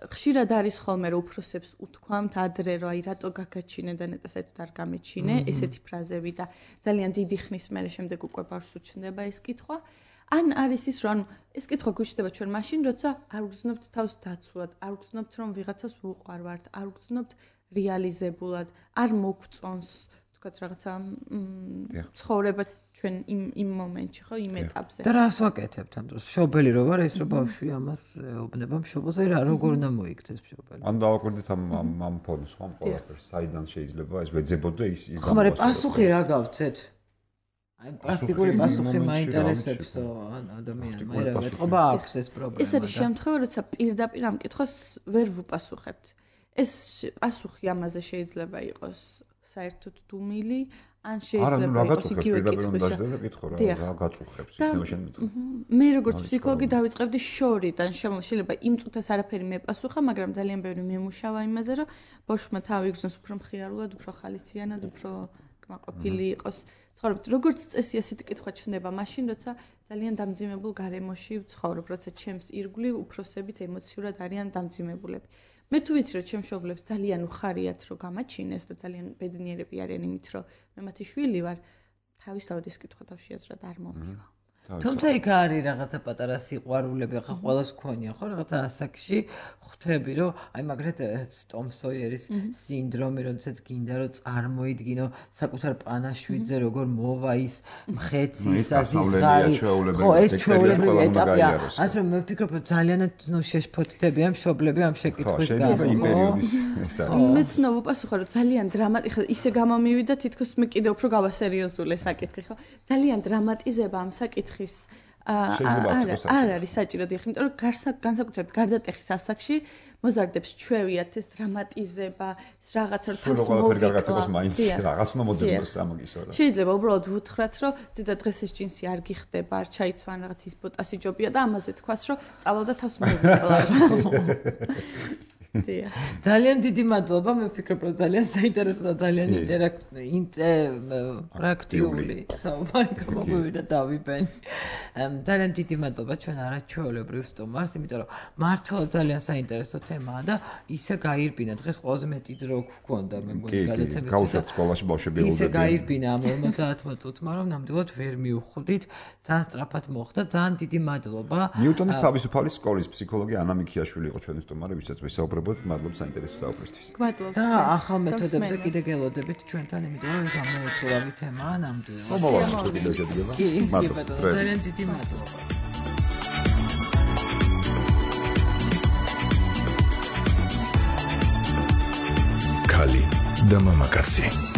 ხშირად არის ხოლმე რომ უფროსებს უთქვამთ ადრე რომ აი რატო გაგაჩინე და ნეტა საერთოდ არ გამეჩინე ესეთი ფრაზები და ძალიან დიდი ხნის მერე შემდეგ უკვე ბავშვს უჩნდება ეს კითხვა. ან არის ის რომ ეს კითხვა გვიჩნდება ჩვენ მაშინ როცა არ ვგრძნობთ თავს დაცულად არ ვგრძნობთ რომ ვიღაცას ვუყვარვართ არ ვგრძნობთ რეალიზებულად არ მოგწონს თქვათ რაღაცა ცხოვრება ჩვენ იმ მომენტში ხო იმ ეტაპზე
და რას ვაკეთებთ ამ დროს მშობელი რო ვარ ეს რო ბავშვი ამას ეუბნება მშობელზე რა როგორ უნდა მოიქცეს მშობელი
ან დავაკვირდით ამ ფონს ხომ ყველაფერს საიდან შეიძლება ეს ვეძებოდე ის
ხო მაგრამ პასუხი რა გავცეთ აი პრაქტიკული პასუხი მაინტერესებსო ან ადამიანს მე რა ვეთყობა აქვს ეს პრობლემა
ეს არის შემთხვევა როცა პირდაპირ ამ კითხვას ვერ ვუპასუხებთ ეს პასუხი ამაზე შეიძლება იყოს საერთოდ დუმილი ან შეიძლება იყოს იგივე კითხვის
რა გაწუხებს იქნება შენ მითხრა
მე როგორც ფსიქოლოგი დავიწყებდი შორიდან შეიძლება იმ წუთას არაფერი მეპასუხა მაგრამ ძალიან ბევრი მემუშავა იმაზე რომ ბავშვმა თავი იგრძნოს უფრო მხიარულად უფრო ხალისიანად უფრო კმაყოფილი იყოს ცხოვრობთ როგორც წესი ასეთი კითხვა ჩნდება მაშინ როცა ძალიან დამძიმებულ გარემოში ვცხოვრობ როცა ჩემს ირგვლივ უფროსებიც ემოციურად არიან დამძიმებულები მე თუ ვიცი რომ ჩემს მშობლებს ძალიან უხარიათ რომ გამაჩინეს და ძალიან ბედნიერები არიან იმით რომ მე მათი შვილი ვარ თავისთავად ეს კითხვა თავშეაზრად არ მომივა
თუმცა იქ არის რაღაცა პატარა სიყვარულები ახლა ყველას გქონია ხო რაღაცა ასაკში ხვდები რომ აი მაგრეთ ტომ სოიერის სინდრომი როდესაც გინდა რომ წარმოიდგინო საკუთარ პანაშვიდზე როგორ მოვა ის მხეცი საზღარი ხო ეს ჩვეულებრივი ეტაპია ასე რომ მე ვფიქრობ რომ ძალიანაც შეშფოთდები ამ მშობლები ამ შეკითხვის
გამო იმ პერიოდის ეს არის
მეც ნოვუპასუხა რომ ძალიან დრამატიკა ისე გამომივიდა თითქოს მე კიდე უფრო გავასერიოზულე საკითხი ხო ძალიან დრამატიზება ამ საკითხის არ არის საჭირო დიახ იმიტომ რომ განსაკუთრებით გარდატეხის ასაკში მოზარდებს ჩვევიათ ეს დრამატიზება ეს რაღაცა რომ თავს
მოვიკლა მაინც რაღაც უნდა მოძებნოს ამაგისო რა
შეიძლება უბრალოდ ვუთხრათ რომ დედა დღეს ეს ჯინსი არ გიხდება არ ჩაიცვა ან რაღაც ის ბოტასი ჯობია და ამაზე თქვას რომ წავალ და თავს მოვიკლა
ძალიან დიდი მადლობა მე ვფიქრობ რომ ძალიან საინტერესო და ძალიან ინტერაქტიული საუბარი გამოგვივიდა დავიბენ ძალიან დიდი მადლობა ჩვენ არაჩვეულებრივ სტუმარს იმიტომ რომ მართლა ძალიან საინტერესო თემაა და ისე გაირბინა დღეს ყველაზე მეტი დრო გქონდა მე მგონი გადაცემის
გავუშვათ სკოლაში ბავშვები ელოდებიან
ისე გაირბინა ამ 50 წუთმა რომ ნამდვილად ვერ მივხვდით ძალიან სწრაფად მოხდა ძალიან დიდი მადლობა
ნიუტონის თავისუფალი სკოლის ფსიქოლოგი ანა მიქიაშვილი იყო ჩვენი სტუმარი ვისაც ვისაუბრებთ მადლობა საინტერესო საუბრისთვის
მადლობა
და ახალ მეთოდებზე კიდე გელოდებით ჩვენთან იმიტომ რომ ეს ამოუწურავი თემაა ნამდვილად
მომავალში კიდევ შედგება
მადლობა ძალიან დიდი მადლობა
ქალი და მამაკაცი